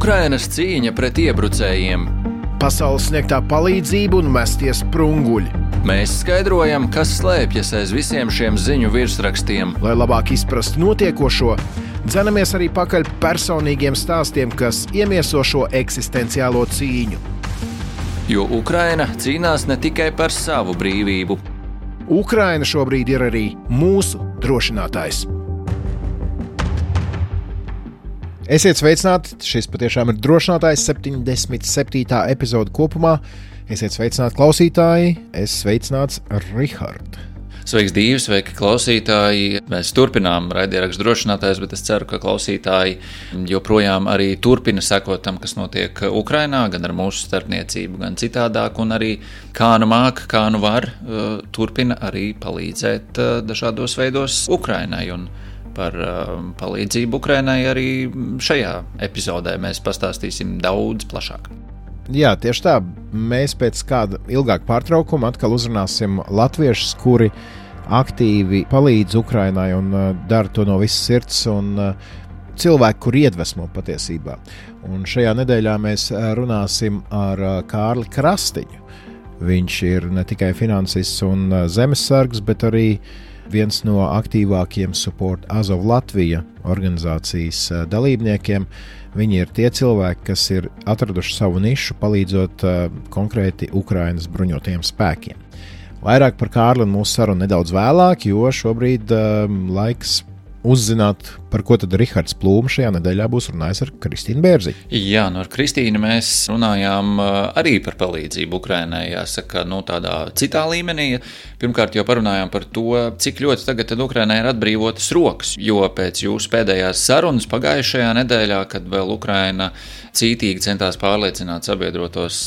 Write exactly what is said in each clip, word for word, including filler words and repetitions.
Ukrainas cīņa pret iebrucējiem. Pasaules sniegtā palīdzība un mestie sprunguļi. Mēs skaidrojam, kas slēpjas aiz visiem šiem ziņu virsrakstiem. Lai labāk izprastu notiekošo, dzenamies arī pakaļ personīgiem stāstiem, kas iemieso šo eksistenciālo cīņu. Jo Ukraina cīnās ne tikai par savu brīvību. Ukraina šobrīd ir arī mūsu drošinātājs. Esiet sveicināti, šis patiešām ir drošinātājs septiņdesmit septītā epizode kopumā. Esiet sveicināti klausītāji, es sveicināts Rihard. Sveiks, Dīvi, sveiki, klausītāji. Mēs turpinām raidierakstu drošinātājs, bet es ceru, ka klausītāji joprojām arī turpina sekot tam, kas notiek Ukrainā, gan ar mūsu starpniecību, gan citādāk, un arī kā nu māk, kā nu var, turpina arī palīdzēt dažādos veidos Ukrainai. Un par palīdzību Ukrainai arī šajā epizodē mēs pastāstīsim daudz plašāk. Jā, tieši tā. Mēs pēc kāda ilgāka pārtraukuma atkal uzrunāsim latviešus, kuri aktīvi palīdz Ukrainai un uh, dara to no visas sirds, un uh, cilvēki, kur iedvesmo patiesībā. Un šajā nedēļā mēs runāsim ar uh, Kārli Krastiņu. Viņš ir ne tikai finansists un uh, zemesargs, bet arī viens no aktīvākajiem Support Azov Latvija organizācijas uh, dalībniekiem. Viņi ir tie cilvēki, kas ir atraduši savu nišu, palīdzot uh, konkrēti Ukrainas bruņotajiem spēkiem. Vairāk par Kārli un mūsu sarunu nedaudz vēlāk, jo šobrīd uh, laiks uzzināt, par ko tad Rihards Plūme šajā nedēļā būs runājis ar Kristīnu Bērziņu. Jā, nu ar Kristīnu mēs runājām arī par palīdzību Ukrainai, jāsaka, nu tādā citā līmenī. Pirmkārt jau parunājām par to, cik ļoti tagad tad Ukrainai ir atbrīvotas rokas, jo pēc jūsu pēdējās sarunas pagājušajā nedēļā, kad vēl Ukraina cītīgi centās pārliecināt sabiedrotos,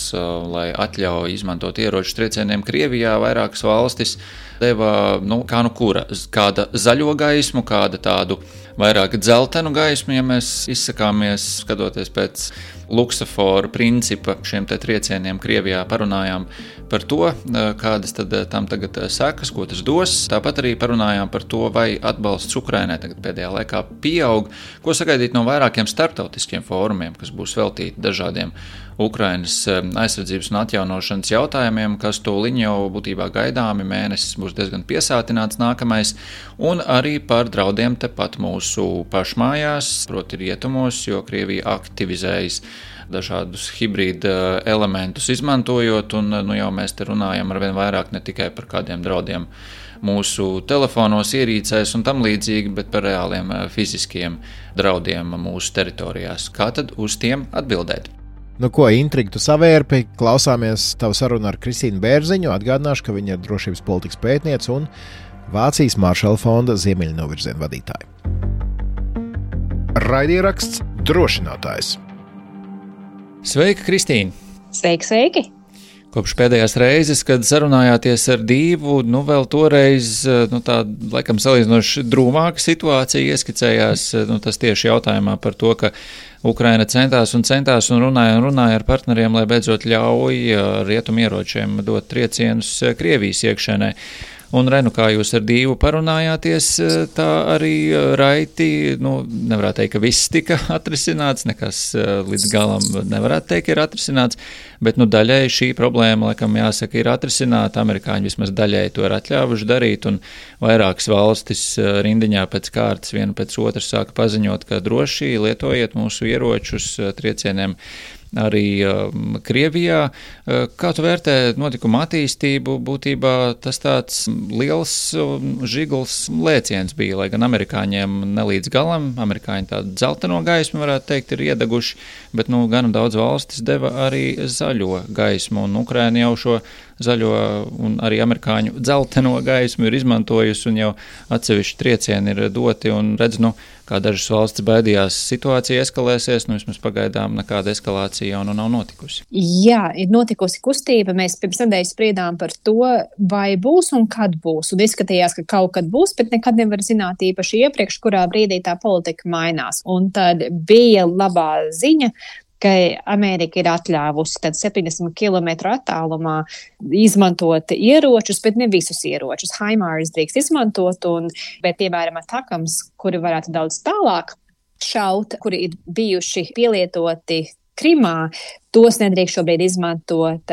lai atļauj izmantot ieroču triecieniem Krievijā, vairākas valstis deva, nu, kā nu kura, kāda zaļo gaismu, kāda tādu vairāk dzeltenu gaismu, ja mēs izsakāmies, skatoties pēc luksaforu principa šiem te triecieniem Krievijā, parunājām par to, kādas tad tam tagad sekas, ko tas dos. Tāpat arī parunājām par to, vai atbalsts Ukrainai tagad pēdējā laikā pieaug, ko sagaidīt no vairākiem starptautiskiem fórumiem, kas būs veltīti dažādiem Ukrainas aizsardzības un atjaunošanas jautājumiem, kas tūliņ jau būtībā gaidāmi, mēnesis būs diezgan piesātināts nākamais, un arī par draudiem tepat mūsu pašmājās, proti rietumos, jo Krievija aktivizējas dažādus hibrīda elementus izmantojot, un nu jau mēs te runājam arvien vairāk ne tikai par kādiem draudiem mūsu telefonos, ierīcēs un tam līdzīgi, bet par reāliem fiziskiem draudiem mūsu teritorijās. Kā tad uz tiem atbildēt? Nu ko, intrigu tu savērpi, klausāmies tavu sarunu ar Kristīnu Bērziņu, atgādināšu, ka viņa ir drošības politikas pētniece un Vācijas Maršala fonda ziemeļnovirziena vadītāja. Raidieraksts drošinātājs. Sveika, Kristīna! Sveiki, sveiki! Kopš pēdējās reizes, kad sarunājāties ar Dīvu, nu vēl toreiz, nu tā, laikam salīdzinoši drūmāka situācija ieskicējās, nu tas tieši jautājumā par to, ka Ukraina centās un centās un runāja un runāja ar partneriem, lai beidzot ļauj rietumieročiem dot triecienus Krievijas iekšēnē. Un, Renu, kā jūs ar Dīvu parunājāties, tā arī raiti, nu, nevarētu teikt, ka viss tika atrisināts, nekas līdz galam nevarētu teikt, ir atrisināts, bet, nu, daļai šī problēma, laikam, jāsaka, ir atrisināta. Amerikāņi vismaz daļai to ir atļāvuši darīt, un vairākas valstis rindiņā pēc kārtas viena pēc otras sāka paziņot, ka droši lietojiet mūsu ieročus triecieniem arī um, Krievijā. Kā tu vērtē notikuma attīstību? Būtībā tas tāds liels um, žigls lēciens bija, lai gan amerikāņiem nelīdz galam, amerikāņi tādu dzelteno gaismu, varētu teikt, ir iedeguši, bet nu, gan daudz valstis deva arī zaļo gaismu, un Ukraina jau šo zaļo un arī amerikāņu dzelteno gaismu ir izmantojusi, un jau atsevišķi triecieni ir doti, un redz, nu, kā dažas valstis baidījās, situācija eskalēsies, nu vismaz pagaidām nekāda eskalācija jau nu nav notikusi. Jā, ir notikusi kustība. Mēs pirms nedēļas spriedām par to, vai būs un kad būs. Un izskatījās, ka kaut kad būs, bet nekad nevar zināt īpaši iepriekš, kurā brīdī tā politika mainās. Un tad bija labā ziņa, ka Amerika ir atļāvusi tad septiņdesmit kilometru attālumā izmantot ieročus, bet ne visus ieročus. HIMARS drīkst izmantot, un, bet, piemēram, atakams, kuri varētu daudz tālāk šauta, kuri ir bijuši pielietoti Krimā, tos nedrīkst šobrīd izmantot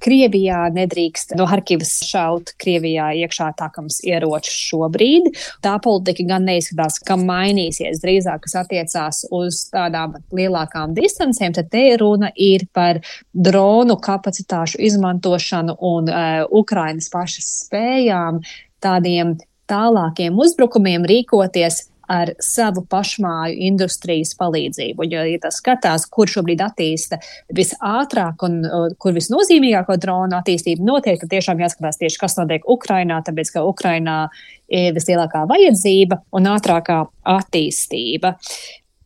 Krievijā, nedrīkst no Harkivas šaut Krievijā iekšā tākams ieročus šobrīd. Tā politika gan neizskatās, ka mainīsies, drīzāk, kas attiecās uz tādām lielākām distancēm, tad te runa ir par dronu kapacitāšu izmantošanu un uh, Ukrainas pašas spējām tādiem tālākiem uzbrukumiem rīkoties ar savu pašmāju industrijas palīdzību. Jo, ja tas skatās, kur šobrīd attīsta visātrāk un uh, kur visnozīmīgāko dronu attīstību notiek, tad tiešām jāskatās tieši, kas notiek Ukrainā, tāpēc, ka Ukrainā ir vislielākā vajadzība un ātrākā attīstība.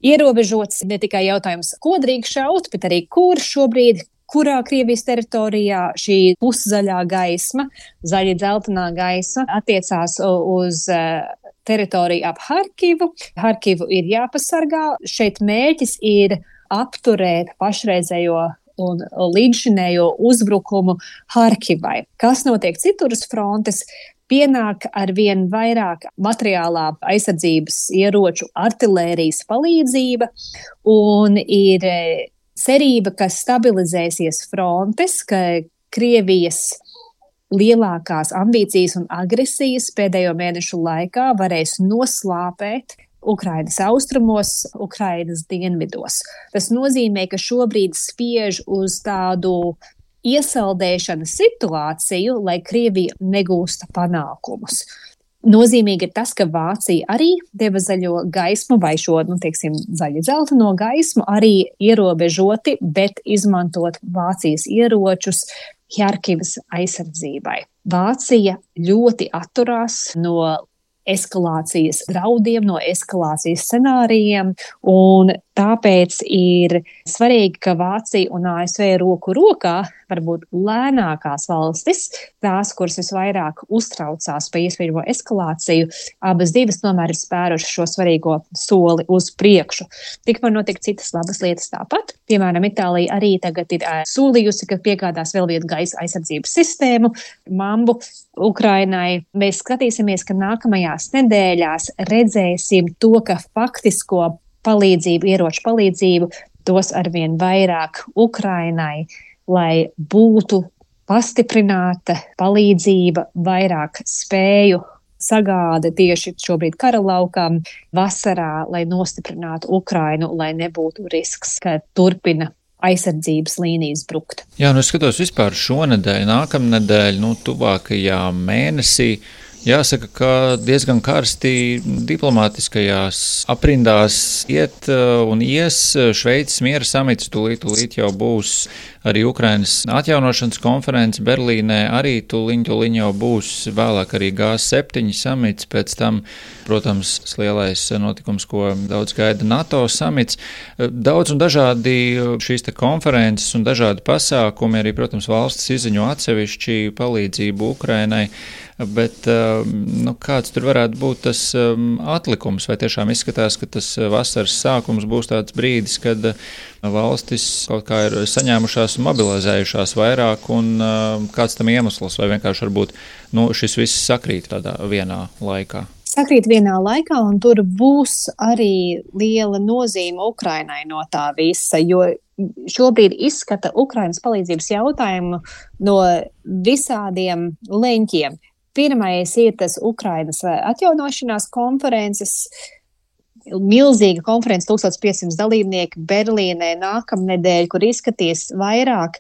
Ierobežots ne tikai jautājums, ko drīkst šaut, bet arī kur šobrīd, kurā Krievijas teritorijā šī puszaļā gaisma, zaļi dzeltenā gaisma attiecās uz uh, teritoriju ap Harkivu. Harkivu ir jāpasargā. Šeit mērķis ir apturēt pašreizējo un līdzšinējo uzbrukumu Harkivai. Kas notiek citur uz frontes? Pienāk ar vien vairāk materiālā aizsardzības ieroču, artilērijas palīdzība un ir cerība, ka stabilizēsies frontes, ka Krievijas lielākās ambīcijas un agresijas pēdējo mēnešu laikā varēs noslāpēt Ukrainas austrumos, Ukrainas dienvidos. Tas nozīmē, ka šobrīd spiež uz tādu iesaldēšanas situāciju, lai Krievija negūsta panākumus. Nozīmīgi ir tas, ka Vācija arī deva zaļo gaismu vai šo, nu, teiksim, zaļi dzelteno gaismu arī ierobežoti, bet izmantot Vācijas ieročus Harkivas aizsardzībai. Vācija ļoti atturās no eskalācijas draudiem, no eskalācijas scenārijiem, un tāpēc ir svarīgi, ka Vācija un A S V roku rokā varbūt lēnākās valstis, tās, kuras visvairāk uztraucās par iespējamo eskalāciju, abas divas tomēr ir spērušas šo svarīgo soli uz priekšu. Tikmēr notiek citas labas lietas tāpat. Piemēram, Itālija arī tagad ir solījusi, ka piegādās vēl vienu gaisa aizsardzības sistēmu, mambu, Ukrainai. Mēs skatīsimies, ka nākamajās nedēļās redzēsim to, ka faktisko palīdzību, ieroču palīdzību dos arvien vairāk Ukrainai, lai būtu pastiprināta palīdzība, vairāk spēju sagāda tieši šobrīd kara laukām vasarā, lai nostiprinātu Ukrainu, lai nebūtu risks, ka turpina aizsardzības līnijas brukt. Jā, nu es skatos vispār šonedēļ, nākamnedēļ, nu tuvākajā mēnesī. Jāsaka, ka diezgan karsti diplomātiskajās aprindās iet un ies. Šveices miera samits tūlīt, tūlīt jau būs, arī Ukrainas atjaunošanas konference Berlīnē, arī tūliņ, tūliņ jau būs, vēlāk arī G septiņi samits, pēc tam, protams, lielais notikums, ko daudz gaida NATO samits. Daudz un dažādi šīs te konferences un dažādi pasākumi, arī, protams, valstis izziņo atsevišķi palīdzību Ukrainai. Bet nu, kāds tur varētu būt tas atlikums? Vai tiešām izskatās, ka tas vasaras sākums būs tāds brīdis, kad valstis kaut kā ir saņēmušās un mobilizējušās vairāk, un kāds tam iemesls, vai vienkārši varbūt nu, šis viss sakrīt tādā vienā laikā? Sakrīt vienā laikā, un tur būs arī liela nozīme Ukrainai no tā visa, jo šobrīd izskata Ukrainas palīdzības jautājumu no visādiem leņķiem. Pirmais ir tas Ukrainas atjaunošanās konferences, milzīga konferences, tūkstoš piecsimt dalībnieki Berlīnē nākamnedēļ, kur izskatīs vairāk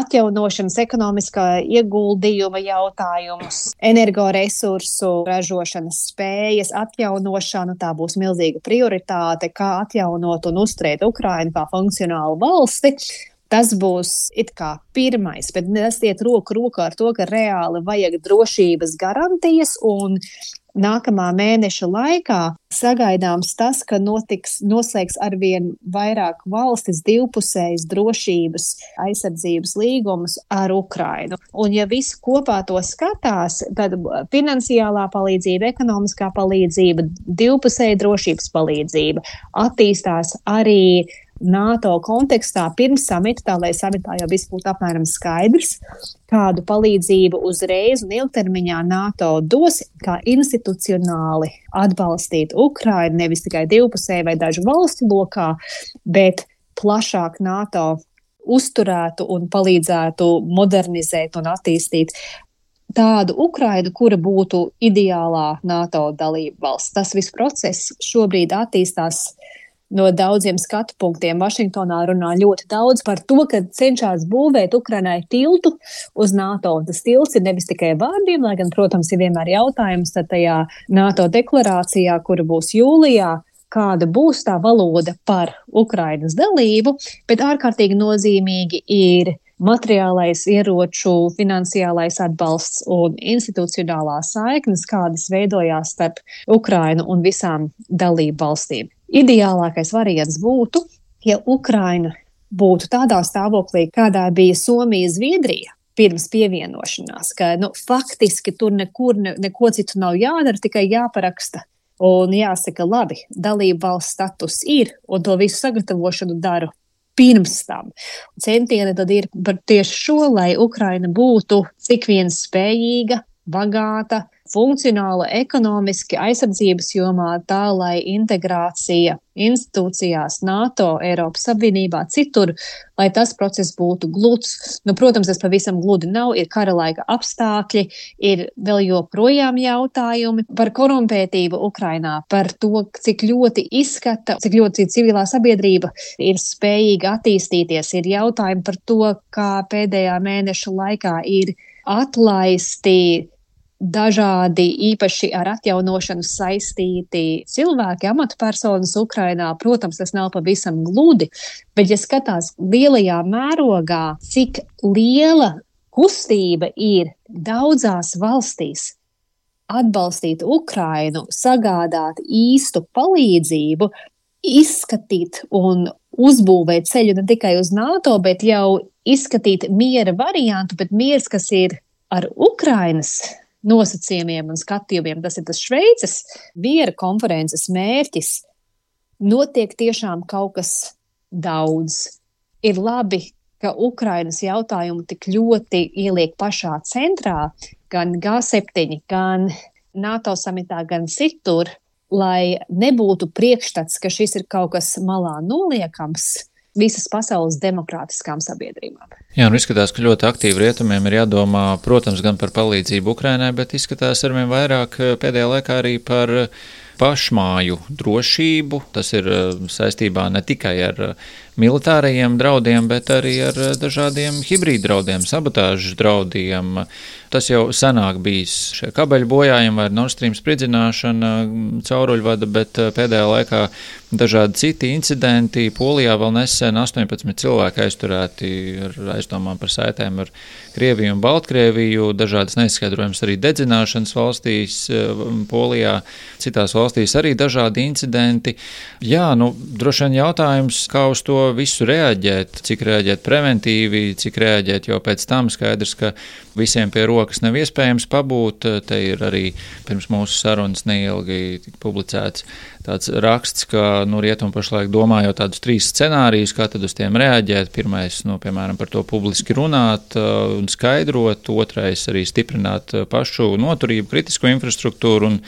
atjaunošanas, ekonomiskā ieguldījuma jautājumus, energoresursu ražošanas spējas atjaunošanu. Tā būs milzīga prioritāte, kā atjaunot un uzturēt Ukrainu kā funkcionālu valsti. Tas būs it kā pirmais, bet tas iet roku rokā ar to, ka reāli vajag drošības garantijas, un nākamā mēneša laikā sagaidāms tas, ka notiks, noslēgs arvien vairāk valstis divpusējas drošības aizsardzības līgumus ar Ukrainu. Un ja visi kopā to skatās, tad finansiālā palīdzība, ekonomiskā palīdzība, divpusēja drošības palīdzība, attīstās arī NATO kontekstā pirms samita, tā lai samitā jau viss būtu apmēram skaidrs, kādu palīdzību uzreiz un ilgtermiņā NATO dos, kā institucionāli atbalstīt Ukrainu, nevis tikai divpusēji vai dažu valstu lokā, bet plašāk NATO uzturētu un palīdzētu modernizēt un attīstīt tādu Ukrainu, kura būtu ideālā NATO dalība valsts. Tas viss process šobrīd attīstās no daudziem skatu punktiem. Vašingtonā runā ļoti daudz par to, ka cenšas būvēt Ukrainai tiltu uz NATO. Un tas tilts ir nevis tikai vārdiem, lai gan, protams, ir vienmēr jautājums tad tajā NATO deklarācijā, kura būs jūlijā, kāda būs tā valoda par Ukrainas dalību, bet ārkārtīgi nozīmīgi ir materiālais, ieroču, finansiālais atbalsts un institucionālā saiknes, kādas veidojās starp Ukrainu un visām dalību valstīm. Ideālākais variants būtu, ja Ukraina būtu tādā stāvoklī, kādā bija Somija, Zviedrija pirms pievienošanās, ka nu, faktiski tur nekur ne, neko citu nav jādara, tikai jāparaksta. Un jāsaka, labi, dalību valsts status ir, un to visu sagatavošanu daru pirms tam. Centieni tad ir par tieši šo, lai Ukraina būtu cik vien spējīga, bagāta, funkcionāla ekonomiski aizsardzības jomā, tā lai integrācija institūcijās, NATO, Eiropas Savienībā, citur, lai tas process būtu gluds. Nu, protams, tas pavisam gludi nav, ir kara laika apstākļi, ir vēl joprojām jautājumi par korumpētību Ukrainā, par to, cik ļoti izskata, cik ļoti civilā sabiedrība ir spējīga attīstīties, ir jautājumi par to, kā pēdējā mēneša laikā ir atlaisti dažādi īpaši ar atjaunošanu saistīti cilvēki, amatpersonas Ukrainā. Protams, tas nav pavisam gludi, bet ja skatās lielajā mērogā, cik liela kustība ir daudzās valstīs atbalstīt Ukrainu, sagādāt īstu palīdzību, izskatīt un uzbūvēt ceļu ne tikai uz NATO, bet jau izskatīt miera variantu, bet miers, kas ir ar Ukrainas nosacījumiem un skatījumiem, tas ir tas Šveices miera konferences mērķis, notiek tiešām kaut kas daudz. Ir labi, ka Ukrainas jautājumu tik ļoti ieliek pašā centrā, gan G septiņi, gan NATO samitā, gan citur, lai nebūtu priekšstats, ka šis ir kaut kas malā noliekams visas pasaules demokrātiskām sabiedrībām. Jā, un izskatās, ka ļoti aktīvi rietumiem ir jādomā, protams, gan par palīdzību Ukrainai, bet izskatās arvien vairāk pēdējā laikā arī par pašmāju drošību. Tas ir saistībā ne tikai ar militārajiem draudiem, bet arī ar dažādiem hibrīd draudiem, sabotāžas draudiem. Tas jau senāk bijis šie kabeļu bojājumi vai Nord Stream spridzināšana, cauruļvada, bet pēdējā laikā dažādi citi incidenti. Polijā vēl nesen astoņpadsmit cilvēki aizturēti ar aizdomām par saitēm ar Krieviju un Baltkrieviju, dažādas neizskaidrojamas arī dedzināšanas valstīs, Polijā, citās valstīs arī dažādi incidenti. Jā, nu, droši vien jautājums, kā uz to visu reaģēt, cik reaģēt preventīvi, cik reaģēt jau pēc tam. Skaidrs, ka visiem pie rokas nav iespējams pabūt. Te ir arī pirms mūsu sarunas neilgi publicēts tāds raksts, ka nu, rietumi pašlaik domā jau tādus trīs scenārijus, kā tad uz tiem reaģēt. Pirmais, nu, piemēram, par to publiski runāt un skaidrot, otrais arī stiprināt pašu noturību, kritisko infrastruktūru, un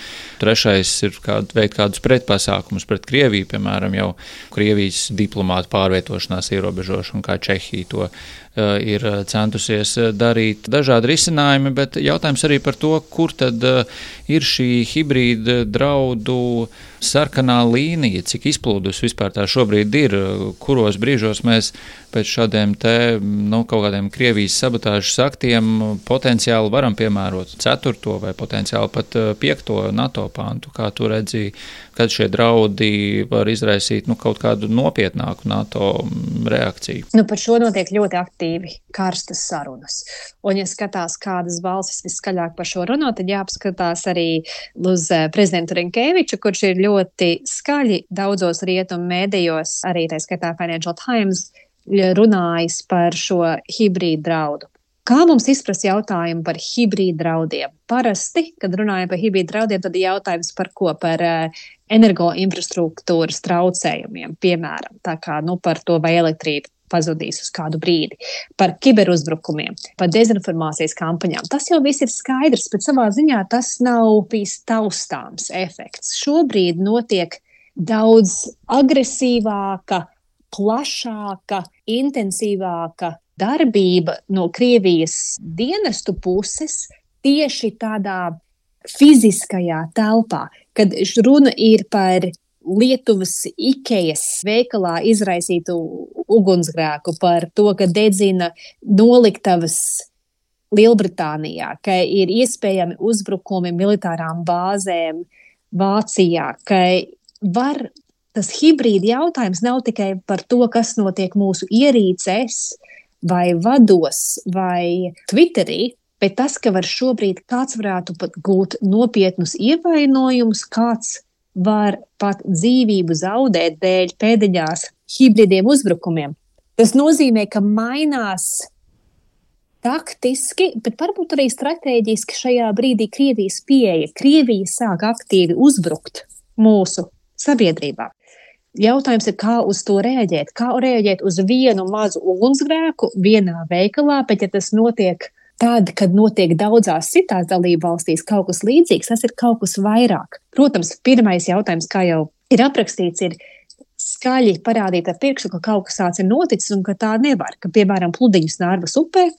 trešais ir kād, veikt kādus pretpasākumus pret Krieviju, piemēram, jau Krievijas diplomātu pārvietošanās ierobežošanu, kā Čehija to ir centusies darīt. Dažādi risinājumi, bet jautājums arī par to, kur tad ir šī hibrīda draudu sarkanā līnija, cik izplūdus vispār tā šobrīd ir, kuros brīžos mēs pēc šādiem te, nu, kaut kādiem Krievijas sabotāžas aktiem potenciāli varam piemērot ceturto vai potenciāli pat piekto NATO pantu, kā tu redzi, kad šie draudi var izraisīt, nu, kaut kādu nopietnāku NATO reakciju. Nu, par šo notiek ļoti aktīvi karstas sarunas. Un, ja skatās, kādas balsis viskaļāk par šo runā, tad jāpaskatās arī uz prezidentu Rinkēviču, kurš ir ļoti skaļi daudzos rietumu mēdījos, arī tā skaitā Financial Times, runājis par šo hibrīdu draudu. Kā mums izprast jautājumu par hibrīdu draudiem? Parasti, kad runājam par hibrīdu draudiem, tad ir jautājums par ko? Par uh, energoinfrastruktūras traucējumiem, piemēram, tā kā nu, par to, vai elektrība pazudīs uz kādu brīdi, par kiberuzbrukumiem, par dezinformācijas kampaņām. Tas jau viss ir skaidrs, bet savā ziņā tas nav bijis taustāms efekts. Šobrīd notiek daudz agresīvāka, plašāka, intensīvāka darbība no Krievijas dienestu puses tieši tādā fiziskajā telpā, kad runa ir par Lietuvas Ikejas veikalā izraisītu ugunsgrēku, par to, ka dedzina noliktavas Lielbritānijā, ka ir iespējami uzbrukumi militārām bāzēm Vācijā, ka var tas hibrīda jautājums nav tikai par to, kas notiek mūsu ierīcēs vai vados vai Twitterī, bet tas, ka var šobrīd kāds varētu pat gūt nopietnus ievainojumus, kāds var pat dzīvību zaudēt dēļ pēdiņās hibridiem uzbrukumiem. Tas nozīmē, ka mainās taktiski, bet varbūt arī stratēģiski šajā brīdī Krievijas pieeja. Krievija sāk aktīvi uzbrukt mūsu sabiedrībā. Jautājums ir, kā uz to reaģēt? Kā reaģēt uz vienu mazu ugunsgrēku vienā veikalā, bet ja tas notiek tad, kad notiek daudzās citās dalību valstīs kaut kas līdzīgs, tas ir kaut kas vairāk. Protams, pirmais jautājums, kā jau ir aprakstīts, ir skaļi parādīt ar pirkstu, ka kaut kas tāds ir noticis un ka tā nevar. Ka, piemēram, pludiņus Nārvas upē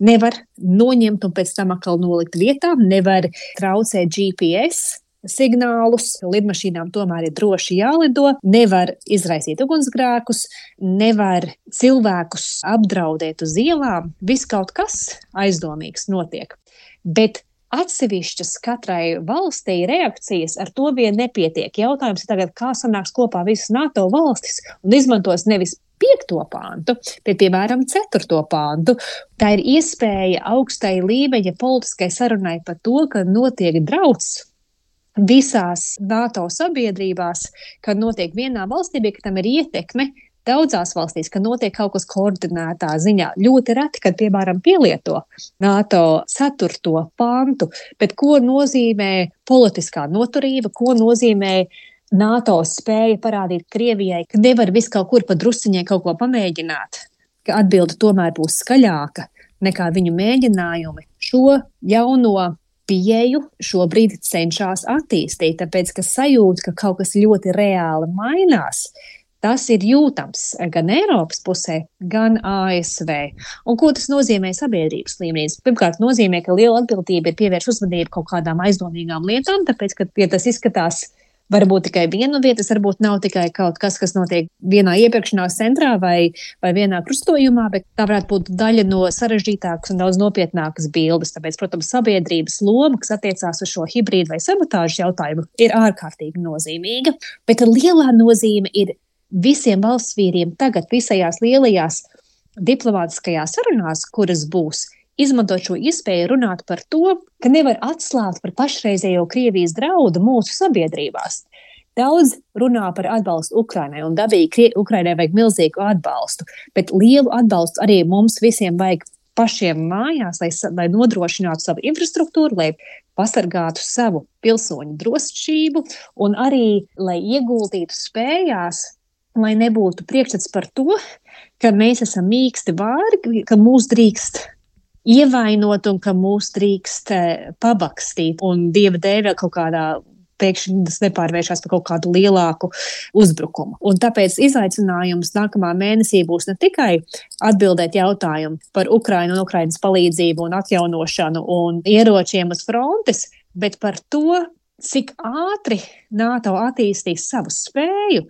nevar noņemt un pēc tam atkal nolikt vietā, nevar traucēt G P S signālus, lidmašīnām tomēr ir droši jālido, nevar izraisīt ugunsgrēkus, nevar cilvēkus apdraudēt uz ielām, viss kaut kas aizdomīgs notiek. Bet atsevišķas katrai valstī reakcijas ar to vien nepietiek. Jautājums ir tagad, kā sanāks kopā visas NATO valstis un izmantos nevis piekto pāntu, bet, piemēram, ceturto pāntu. Tā ir iespēja augstai līmeņa politiskai sarunai par to, ka notiek drauds visās NATO sabiedrībās, kad notiek vienā valstī, bet tam ir ietekme daudzās valstīs, ka notiek kaut kas koordinētā ziņā. Ļoti reti, kad, piemēram, pielieto NATO ceturto pantu, bet ko nozīmē politiskā noturība, ko nozīmē NATO spēja parādīt Krievijai, ka nevar visu kaut kur pa drusiņai kaut ko pamēģināt, ka atbilde tomēr būs skaļāka nekā viņu mēģinājumi. Šo jauno pieeju šobrīd cenšas attīstīt, tāpēc, ka sajūta, ka kaut kas ļoti reāli mainās, tas ir jūtams gan Eiropas pusē, gan A S V. Un ko tas nozīmē sabiedrības līmenī? Pirmkārt, nozīmē, ka liela atbildība ir pievērst uzmanību kaut kādām aizdomīgām lietām, tāpēc, ka ja tas izskatās varbūt tikai viena vieta, tas varbūt nav tikai kaut kas, kas notiek vienā iepirkšanās centrā vai, vai vienā krustojumā, bet tā varētu būt daļa no sarežģītākas un daudz nopietnākas bildes. Tāpēc, protams, sabiedrības loma, kas attiecās uz šo hibrīdu vai sabotāžu jautājumu, ir ārkārtīgi nozīmīga, bet lielā nozīme ir visiem valsts vīriem tagad visajās lielajās diplomātiskajās sarunās, kuras būs, izmantot šo iespēju runāt par to, ka nevar atslābt par pašreizējo Krievijas draudu mūsu sabiedrībās. Daudz runā par atbalstu Ukrainai, un dabīgi Ukrainai vajag milzīgu atbalstu, bet lielu atbalstu arī mums visiem vajag pašiem mājās, lai, lai nodrošinātu savu infrastruktūru, lai pasargātu savu pilsoņu drošību un arī, lai ieguldītu spējās, lai nebūtu priekšstats par to, ka mēs esam mīksti vārgi, ka mūs drīkst ievainot un ka mūs drīkst pabakstīt un dieva dēļ kaut kādā pēkšņi tas nepārvēršās par kaut kādu lielāku uzbrukumu. Un tāpēc izaicinājums nākamā mēnesī būs ne tikai atbildēt jautājumu par Ukrainu un Ukrainas palīdzību un atjaunošanu un ieročiem uz frontes, bet par to, cik ātri NATO attīstīs savu spēju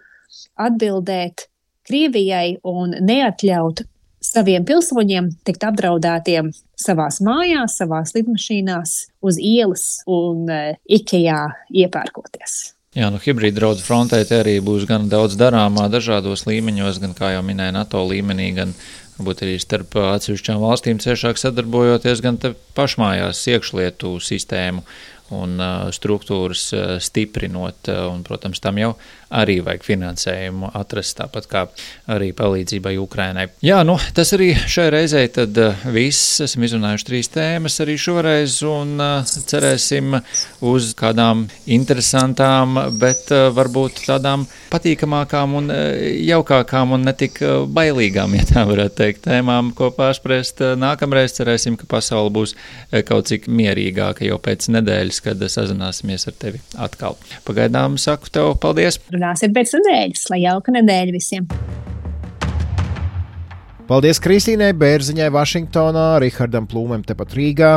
atbildēt Krievijai un neatļaut saviem pilsoņiem tikt apdraudētiem savās mājās, savās lidmašīnās, uz ielas un uh, Ikejā iepērkoties. Jā, nu hibrīda draudz frontē te arī būs gan daudz darāmā dažādos līmeņos, gan, kā jau minēja, NATO līmenī, gan varbūt arī starp atsevišķām valstīm ciešāk sadarbojoties, gan te pašmājās iekšlietu sistēmu un uh, struktūras uh, stiprinot, uh, un, protams, tam jau arī vajag finansējumu atrast, tāpat kā arī palīdzībai Ukrainai. Jā, nu, tas arī šai reizei tad viss. Esam izrunājuši trīs tēmas arī šoreiz un cerēsim uz kādām interesantām, bet varbūt tādām patīkamākām un jaukākām un netik bailīgām, ja tā varētu teikt, tēmām, ko pārspriest nākamreiz. Cerēsim, ka pasaule būs kaut cik mierīgāka jau pēc nedēļas, kad sazināsimies ar tevi atkal. Pagaidām saku tev paldies. Runāsim pēc nedēļas, lai jauka nedēļa visiem. Paldies Kristīnai Bērziņai Vašingtonā, Rihardam Plūmēm tepat Rīgā.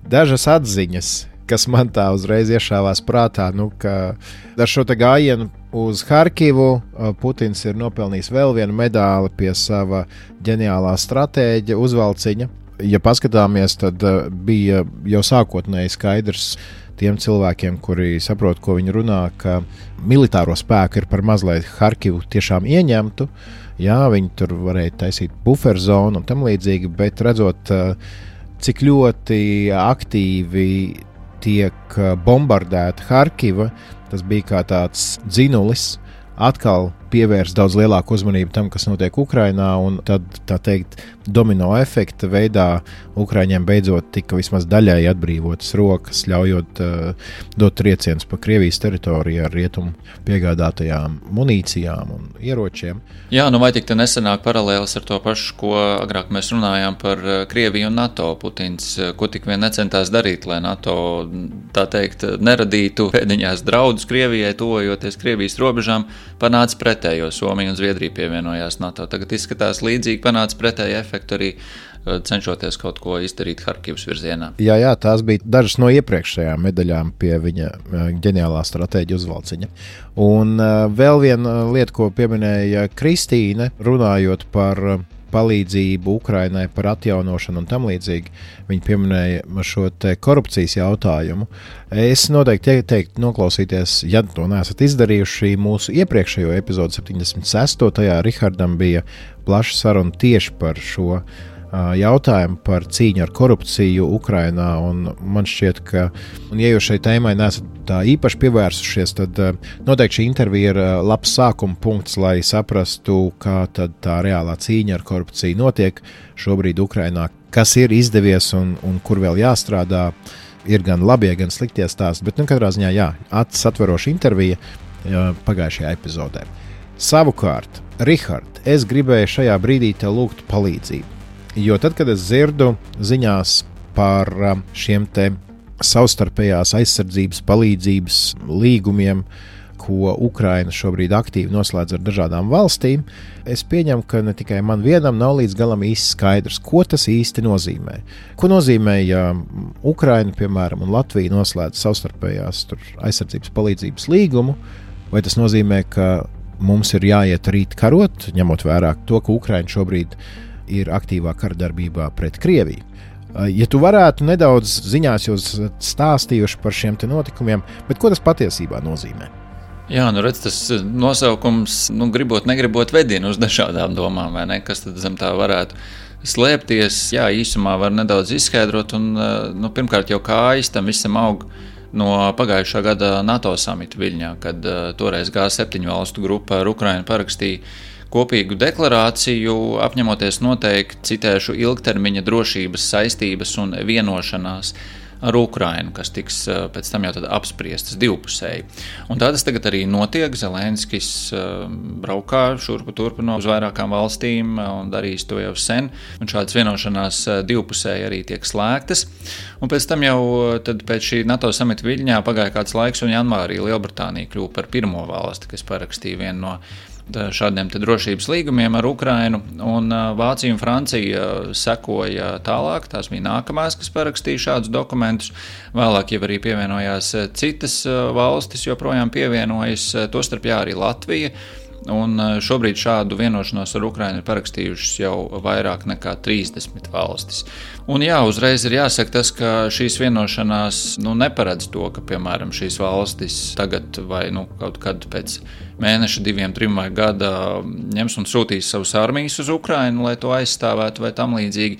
Dažas atziņas, kas man tā uzreiz iešāvās prātā, nu, ka ar šo te gājienu uz Harkivu Putins ir nopelnījis vēl vienu medāli pie sava ģeniālā stratēģa uzvalciņa. Ja paskatāmies, tad bija jau sākotnēji skaidrs tiem cilvēkiem, kuri saprot, ko viņi runā, ka militāro spēku ir par maz, lai Harkivu tiešām ieņemtu. Jā, viņi tur varēja taisīt buferzonu un tam līdzīgi, bet redzot, cik ļoti aktīvi tiek bombardēta Harkiva, tas bija kā tāds dzinulis, atkal pievērst daudz lielāku uzmanību tam, kas notiek Ukrainā, un tad, tā teikt, domino efekta veidā Ukraiņiem beidzot tika vismaz daļai atbrīvotas rokas, ļaujot uh, dot triecienus pa Krievijas teritoriju ar rietumu piegādātajām munīcijām un ieročiem. Jā, nu vai tik te nesenāk paralēlis ar to pašu, ko agrāk mēs runājām par Krieviju un NATO. Putins, ko tik vien necentās darīt, lai NATO, tā teikt, neradītu pēdiņās draudus Krievijai, tuvojoties Krievijas robežām, panāca pretējo. Somija un Zviedrija pievienojās NATO. Tagad izskatās līdzīgi, panāca pretēju efektu arī cenšoties kaut ko izdarīt Harkivas virzienā. Jā, jā, tās bija dažas no iepriekšējām medaļām pie viņa ģeniālā stratēģa uzvalciņa. Un uh, vēl viena lieta, ko pieminēja Kristīne, runājot par palīdzību Ukrainai, par atjaunošanu un tam līdzīgi, viņi pieminēja šo te korupcijas jautājumu. Es noteikti teiktu noklausīties, ja to neesat izdarījuši, mūsu iepriekšējo epizodu septiņdesmit sesto. Tajā Rihardam bija plaša saruna tieši par šo jautājumu, par cīņu ar korupciju Ukrainā, un man šķiet, ka, un ja jūs šai tēmai neesat tā īpaši pievērsušies, tad noteikti šī intervija ir labs sākuma punkts, lai saprastu, kā tad tā reālā cīņa ar korupciju notiek šobrīd Ukrainā, kas ir izdevies un, un kur vēl jāstrādā, ir gan labie, gan sliktie stāsti, bet nu katrā ziņā jā, acis atveroša intervija pagājušajā epizodē. Savukārt, Rihard, es gribēju šajā brīdī tev lūgt palīdzību. Jo tad, kad es dzirdu ziņās par šiem te savstarpējās aizsardzības palīdzības līgumiem, ko Ukraina šobrīd aktīvi noslēdz ar dažādām valstīm, es pieņemu, ka ne tikai man vienam nav līdz galam īsti skaidrs, ko tas īsti nozīmē. Ko nozīmē, ja Ukraina, piemēram, un Latvija noslēdz savstarpējās tur, aizsardzības palīdzības līgumu, vai tas nozīmē, ka mums ir jāiet rīt karot, ņemot vērā to, ka Ukraina šobrīd ir aktīvā karadarbībā pret Krieviju. Ja tu varētu nedaudz ziņās jūs stāstījuši par šiem te notikumiem, bet ko tas patiesībā nozīmē? Jā, nu redz, tas nosaukums, nu gribot, negribot vedina uz dažādām domām, vai ne? Kas tad zem tā varētu slēpties? Jā, īsumā var nedaudz izskaidrot, un, nu, pirmkārt jau kājas tam visam aug no pagājušā gada NATO samita Viļņā, kad uh, toreiz G septiņu valstu grupa ar Ukrainu parakstīja kopīgu deklarāciju, apņemoties noteikt, citēšu, ilgtermiņa drošības saistības un vienošanās ar Ukrainu, kas tiks pēc tam jau tad apspriestas divpusēji. Un tā tas tagad arī notiek. Zelenskis braukā šurpu turpu no uz vairākām valstīm un darīs to jau sen. Un šādas vienošanās divpusēji arī tiek slēgtas. Un pēc tam jau tad pēc šī NATO samita Viļņā pagāja kāds laiks, un janvārī Lielbritānija kļuva par pirmo valsti, kas parakstīja vienu no šādiem te drošības līgumiem ar Ukrainu, un Vācija un Francija sekoja tālāk, tās bija nākamās, kas parakstīja šādus dokumentus, vēlāk jau arī pievienojās citas valstis, joprojām pievienojas, tostarp jā arī Latvija, un šobrīd šādu vienošanos ar Ukrainu ir parakstījušas jau vairāk nekā trīsdesmit valstis. Un jā, uzreiz ir jāsaka tas, ka šīs vienošanās nu, neparedz to, ka, piemēram, šīs valstis tagad vai nu, kaut kad pēc mēneša, diviem, trim vai gada ņems un sūtīs savus armijas uz Ukrainu, lai to aizstāvētu vai tam līdzīgi.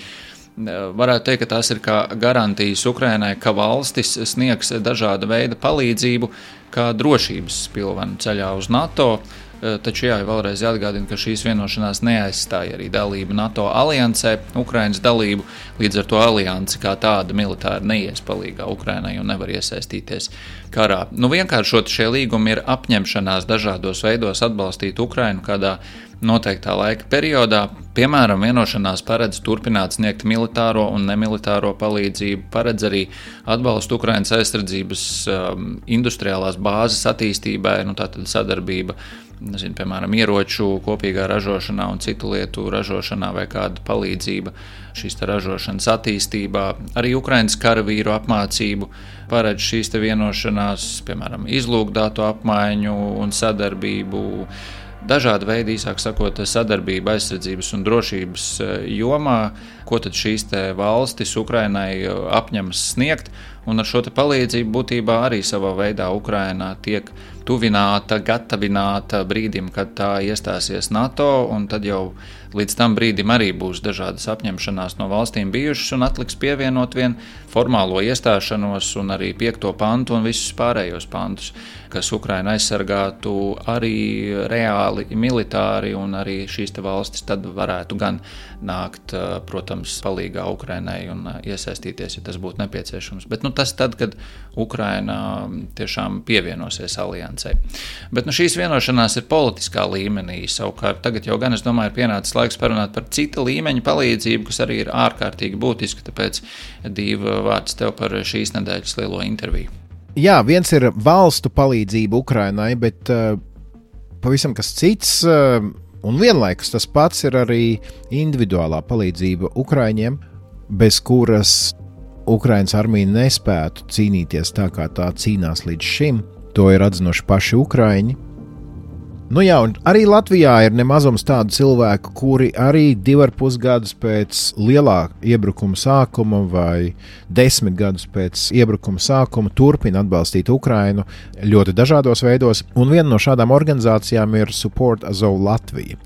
Varētu teikt, ka tās ir kā garantijas Ukrainai, ka valstis sniegs dažāda veida palīdzību, kā drošības spilvenu ceļā uz NATO. Taču jā, vēlreiz jāatgādina, ka šīs vienošanās neaizstāja arī dalību NATO aliansē, Ukrainas dalību, līdz ar to aliansi kā tāda militāri neies palīgā Ukrainai un nevar iesaistīties karā. Nu, vienkāršot šie līgumi ir apņemšanās dažādos veidos atbalstīt Ukrainu kādā noteiktā laika periodā. Piemēram, vienošanās paredz turpināt sniegt militāro un nemilitāro palīdzību, paredz arī atbalstu Ukrainas aizsardzības um, industriālās bāzes attīstībai, nu tātad sadarbība, nezinu, piemēram, ieroču kopīgā ražošanā un citu lietu ražošanā vai kāda palīdzība šīs te ražošanas attīstībā. Arī Ukrainas karavīru apmācību paredz šīs te vienošanās, piemēram, izlūkdatu apmaiņu un sadarbību, dažādi veidi, īsāk sakot, sadarbība aizsardzības un drošības jomā, ko tad šīs te valstis Ukrainai apņemas sniegt, un ar šo te palīdzību būtībā arī savā veidā Ukraina tiek tuvināta, gatavināta brīdim, kad tā iestāsies NATO, un tad jau līdz tam brīdim arī būs dažādas apņemšanās no valstīm bijušas, un atliks pievienot vien formālo iestāšanos un arī piekto pantu un visus pārējos pantus, kas Ukraina aizsargātu arī reāli militāri, un arī šīs te valstis tad varētu gan nākt, protams, palīgā Ukrainai un iesaistīties, ja tas būtu nepieciešams. Bet nu, tas tad, kad Ukraina tiešām pievienosies aliansei. Bet nu, šīs vienošanās ir politiskā līmenī. Savukārt tagad jau gan, es domāju, ir pienācis laiks parunāt par cita līmeņa palīdzību, kas arī ir ārkārtīgi būtiska, tāpēc Dīva vārds tev par šīs nedēļas lielo interviju. Jā, viens ir valstu palīdzība Ukrainai, bet uh, pavisam kas cits, uh, un vienlaikus tas pats ir arī individuālā palīdzība Ukraiņiem, bez kuras Ukrainas armija nespētu cīnīties tā, kā tā cīnās līdz šim. To ir atzinuši paši Ukraiņi. Nu jā, un arī Latvijā ir nemazums tādu cilvēku, kuri arī divi ar pus gadus pēc lielā iebrukuma sākuma vai desmit gadus pēc iebrukuma sākuma turpina atbalstīt Ukrainu ļoti dažādos veidos, un viena no šādām organizācijām ir Support Azov Latvija.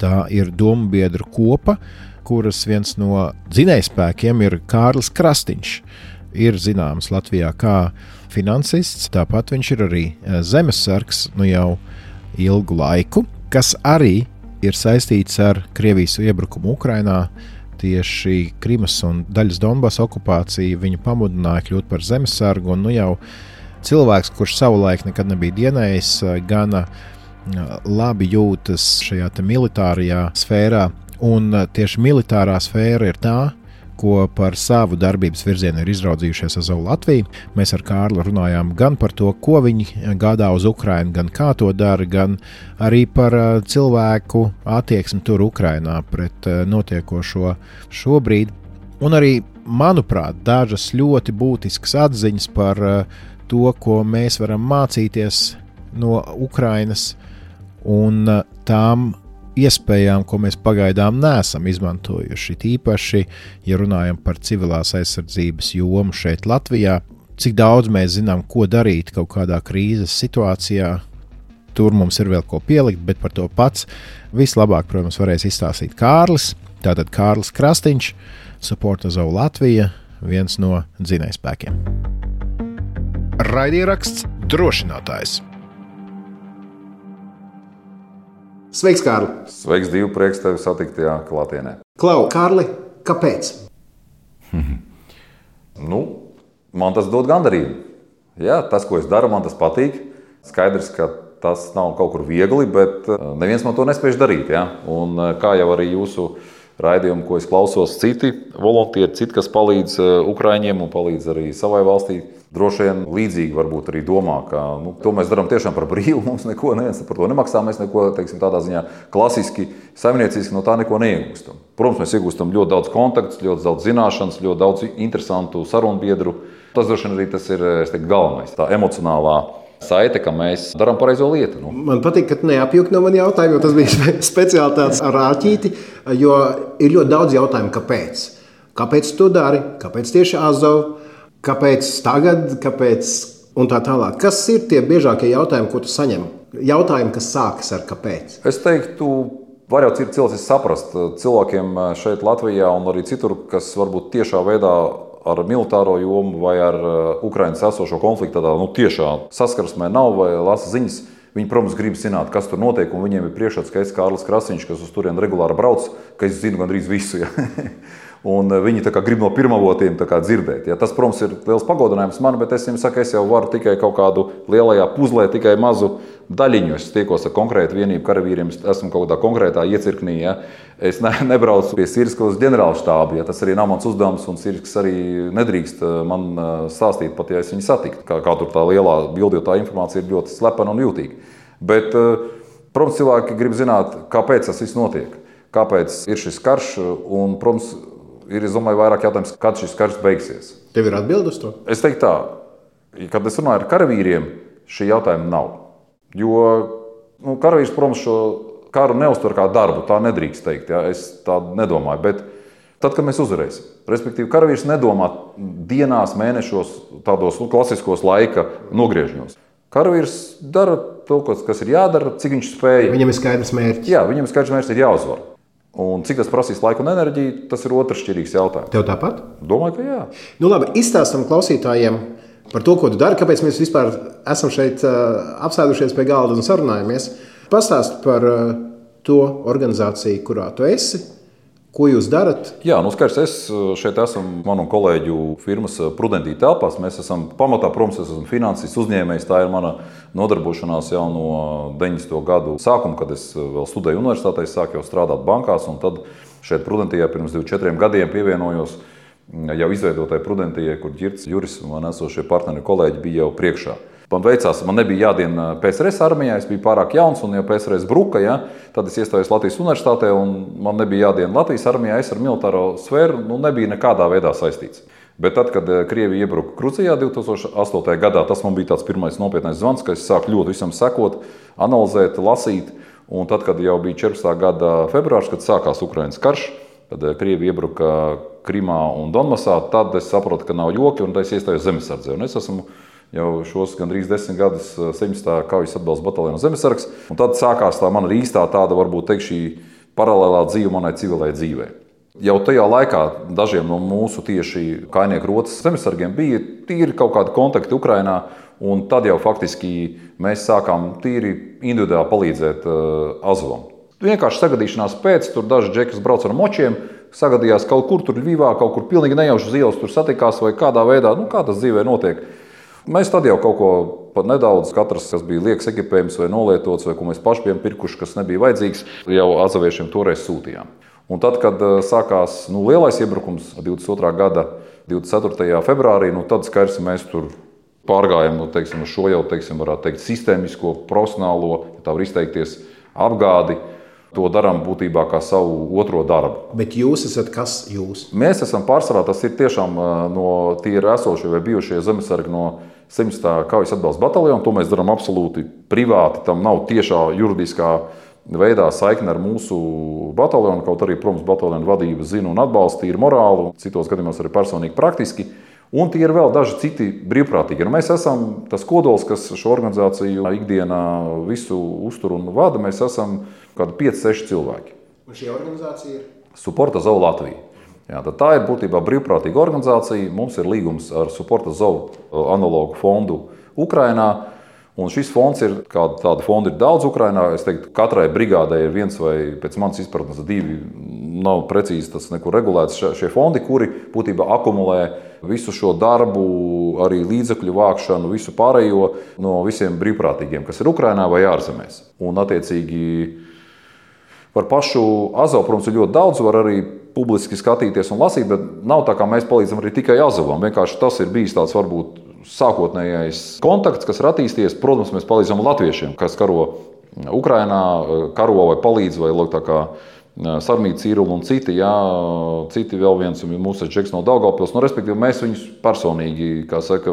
Tā ir domu biedru kopa, kuras viens no dzinējspēkiem ir Kārlis Krastiņš. Ir zināms Latvijā kā finansists, tāpat viņš ir arī zemesargs, nu jau ilgu laiku, kas arī ir saistīts ar Krievijas iebrukumu Ukrainā. Tieši Krimas un daļas Donbasa okupācija viņu pamudināja kļūt par zemesargu, un nu jau cilvēks, kurš savulaik nekad nebija dienējis, gana labi jūtas šajā te militārajā sfērā, un tieši militārā sfēra ir tā, ko par savu darbības virzienu ir izraudzījušies Azov Latviju. Mēs ar Kārlu runājām gan par to, ko viņi gādā uz Ukrainu, gan kā to dara, gan arī par cilvēku attieksmi tur Ukrainā pret notiekošo šobrīd. Un arī, manuprāt, dažas ļoti būtiskas atziņas par to, ko mēs varam mācīties no Ukrainas un tām iespējām, ko mēs pagaidām neesam izmantojuši. Tīpaši, ja runājam par civilās aizsardzības jomu šeit Latvijā, cik daudz mēs zinām, ko darīt kaut kādā krīzes situācijā. Tur mums ir vēl ko pielikt, bet par to pats vislabāk, protams, varēs izstāstīt Kārlis. Tātad Kārlis Krastiņš, Support Azov Latvija, viens no dzinējspēkiem. Raidieraksts Drošinātājs. Sveiks, Kārli! Sveiks, Dīva, prieks tevi satikt tajā klātienē. Klau, Kārli, kāpēc? nu, man tas dod gandarību. Jā, tas, ko es daru, man tas patīk. Skaidrs, ka tas nav kaut kur viegli, bet neviens man to nespēj darīt. Jā? Un kā jau arī jūsu raidījumu, ko es klausos, citi volontieri, citi, kas palīdz Ukraiņiem un palīdz arī savai valstī, droši vien līdzīgi varbūt arī domā, ka nu, to mēs darām tiešām par brīvu, mums neko neviens par to nemaksā, mēs neko, teiksim, tādā ziņā klasiski, saimnieciski no tā neko neiegūstam. Protams, mēs iegūstam ļoti daudz kontaktus, ļoti daudz zināšanas, ļoti daudz interesantu sarunbiedru. Tas droši vien arī tas ir, es teiktu, galvenais, tā emocionālā saite, ka mēs darām pareizo lietu. Nu. Man patīk, ka neapjuki no mani jautājumu, jo tas bija speciāli tāds ar āķīti, jo ir ļoti daudz jautājumu, kāpēc. Kāpēc tu dari? Kāpēc tieši Azov? Kāpēc tagad? Kāpēc? Un tā tālāk. Kas ir tie biežākie jautājumi, ko tu saņem? Jautājumi, kas sākas ar kāpēc? Es teiktu, var jau cilvēks saprast cilvēkiem šeit Latvijā un arī citur, kas varbūt tiešā veidā ar militāro jomu vai ar Ukrainas esošo konfliktu tādā nu, tiešā saskarsmē nav vai lasa ziņas. Viņi, protams, grib zināt, kas tur notiek, un viņiem ir priekšstats, ka es Kārlis Krasiņš, kas uz turieni regulāri brauc, ka es zinu gandrīz visu. Ja? Un viņi tā kā grib no pirmavotiem tā kā dzirdēt. Ja? Tas, protams, ir liels pagodinājums man, bet es viņiem saku, es jau varu tikai kaut kādu lielajā puzlē, tikai mazu daļiņu. Es tiekos ar konkrētu vienību karavīriem, esmu kaut kādā konkrētā iecirknī. Ja? Es ne, nebraucu pie Sīrskas ģenerāla štāba, ja? Tas arī nav mans uzdevums, un Sīrskas arī nedrīkst man stāstīt, pat ja es viņu satiktu. Kā, kā tur tā lielā bildotā informācija ir ļoti slepena un jūtīga. Bet, protams, cilvēki grib zināt, kāpēc tas viss notiek, kāpēc ir šis karš, un, protams, ir, es domāju, vairāk jautājums, kad šis karš beigsies. Tev ir atbilde uz to? Es teiktu tā, kad es runāju ar karavīriem, šī jautājuma nav. Jo nu, karavīrs, protams, šo karu neuztver kā darbu, tā nedrīkst teikt, ja? Es tā nedomāju, bet tad, kad mēs uzvarēsim, respektīvi, karavīrs nedomā dienās, mēnešos, tādos nu, klasiskos laika nogriežņos. Karavīrs dara to, kas ir jādara, cik viņš spēja. Viņam ir skaidrs mērķis. Jā, viņam ir skaidrs mērķis, ir jāuzvar. Un cik tas prasīs laiku un enerģiju, tas ir otršķirīgs jautājums. Tev tāpat? Domāju, ka jā. Nu labi, izstāstam klausītājiem par to, ko tu dari, kāpēc mēs vispār esam šeit uh, apsēdušies pie galda un sarunājamies. Pastāst par uh, to organizāciju, kurā tu esi, ko jūs darat. Jā, nu skaidrs, es šeit esmu manu kolēģu firmas Prudentī telpās. Mēs esam pamatā, protams, es esmu finansists uzņēmējs. Tā ir mana nodarbošanās jau no deviņdesmito gadu sākuma, kad es vēl studēju universitātē, sāku jau strādāt bankās, un tad šeit Prudentijā pirms divdesmit četriem gadiem pievienojos jau izveidotai Prudentijai, kur Ģirts, Juris un man esošie partneri kolēģi bija jau priekšā. Man veicās, man nebija jādien P S R S armijā, es biju pārāk jauns, un ja P S R S bruka, ja, tad es iestājos Latvijas universitātē, un man nebija jādien Latvijas armijā, es ar militāro sfēru nu, nebija nekādā veidā saistīts. Bet tad, kad Krievija iebruka Gruzijā divs tūkstoši astotajā gadā, tas man bija tāds pirmais nopietnais zvans, ka es sāku ļoti visam sekot, analizēt, lasīt, un tad, kad jau bija četrpadsmitā gada februārs, kad sākās Ukrainas karš, kad Krievija iebruka Krimā un Donbasā, tad es saprotu, ka nav joki, un es iestājos zemesardzē. Un es esmu jau šos gandrīz desmit gadus septiņdesmitā kaujas atbalsta bataljona zemesargs, un tad sākās tā mana īstā tāda, varbūt teikt, šī paralēlā dzīve manai civilai dzīvei. Jau tajā laikā dažiem no mūsu tieši kainieku rotas zemesargiem bija tīri kaut kādi kontakti Ukrainā, un tad jau faktiski mēs sākām tīri individuāli palīdzēt uh, Azovam. Vienkārši sagadīšanās pēc, tur daži džeki, kas brauc ar močiem, sagadījās kaut kur tur Ļvivā, kaut kur pilnīgi nejauši uz ielas tur satikās vai kādā veidā, nu kā tas dzīvē notiek. Mēs tad jau kaut ko pat nedaudz, katrs, kas bija liekas ekipējums vai nolietots, vai ko mēs paši bijām pirkuši, kas nebija vajadzīgs, jau azaviešiem toreiz sūtījām. Un tad, kad sākās nu, lielais iebrukums divdesmit otrā gada divdesmit ceturtajā februārī, nu, tad skaidrs, mēs tur pārgājām nu, teiksim, uz šo jau, teiksim, varētu teikt, sistēmisko, profesionālo, ja tā var izteikties, apgādi. To darām būtībā kā savu otro darbu. Bet jūs esat kas jūs? Mēs esam pārsvarā, tas ir tiešām no tie ir esošie vai bijušie zemesargi no septiņdesmitā kaujas atbalsta bataljona. To mēs darām absolūti privāti, tam nav tiešā juridiskā veidā saikne ar mūsu bataljonu, kaut arī, protams, bataljona vadība zina un atbalsta, ir morāli, citos gadījumos arī personīgi praktiski. Un tie ir vēl daži citi brīvprātīgi. Nu, mēs esam tas kodols, kas šo organizāciju ikdienā visu uztur un vada. Mēs esam kādi pieci seši cilvēki. Un šī organizācija ir? Support Azov Latvija. Jā, tā ir būtībā brīvprātīga organizācija. Mums ir līgums ar Support Azov analogu fondu Ukrainā. Un šis fonds ir, kāda tāda fonda ir daudz Ukrainā. Es teiktu, katrai brigādai ir viens vai pēc manas izpratnes divi, nav precīzi tas nekur regulēts šie fondi, kuri būtībā akumulē visu šo darbu, arī līdzekļu vākšanu, visu pārējo no visiem brīvprātīgiem, kas ir Ukrainā vai ārzemēs. Un attiecīgi par pašu Azovu, protams, ir ļoti daudz, var arī publiski skatīties un lasīt, bet nav tā, kā mēs palīdzam arī tikai Azovam. Vienkārši tas ir bijis tāds varbūt sākotnējais kontakts, kas ir attīstījies. Protams, mēs palīdzam latviešiem, kas karo Ukrainā, karo vai palīdz, vai lūk, tā kā Sarmīts, Cīrula un citi, jā, citi vēl viens mūsu džeks no Daugavpils. Nu, respektīvi, mēs viņus personīgi, kā saka,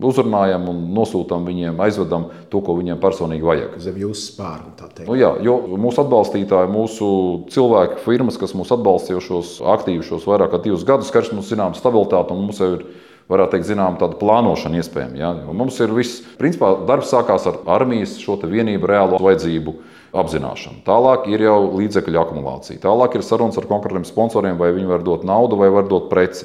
uzrunājam un nosūtam viņiem, aizvedam to, ko viņiem personīgi vajag. Zem jūsu spārnu, tā teikt. Nu, jā, jo mūsu atbalstītāji, mūsu cilvēki, firmas, kas mūs atbalsta jau šos aktīvi šos vairāk kā divus gadus, karš mums zinām stabilitāti un mums jau ir, varētu teikt, zinām, tāda plānošana iespējama. Ja? Mums ir viss, principā, darbs sākās ar armijas šo te vienību reālo vajadzību apzināšanu. Tālāk ir jau līdzekļu akumulācija. Tālāk ir sarunas ar konkrētiem sponsoriem, vai viņi var dot naudu vai var dot preci.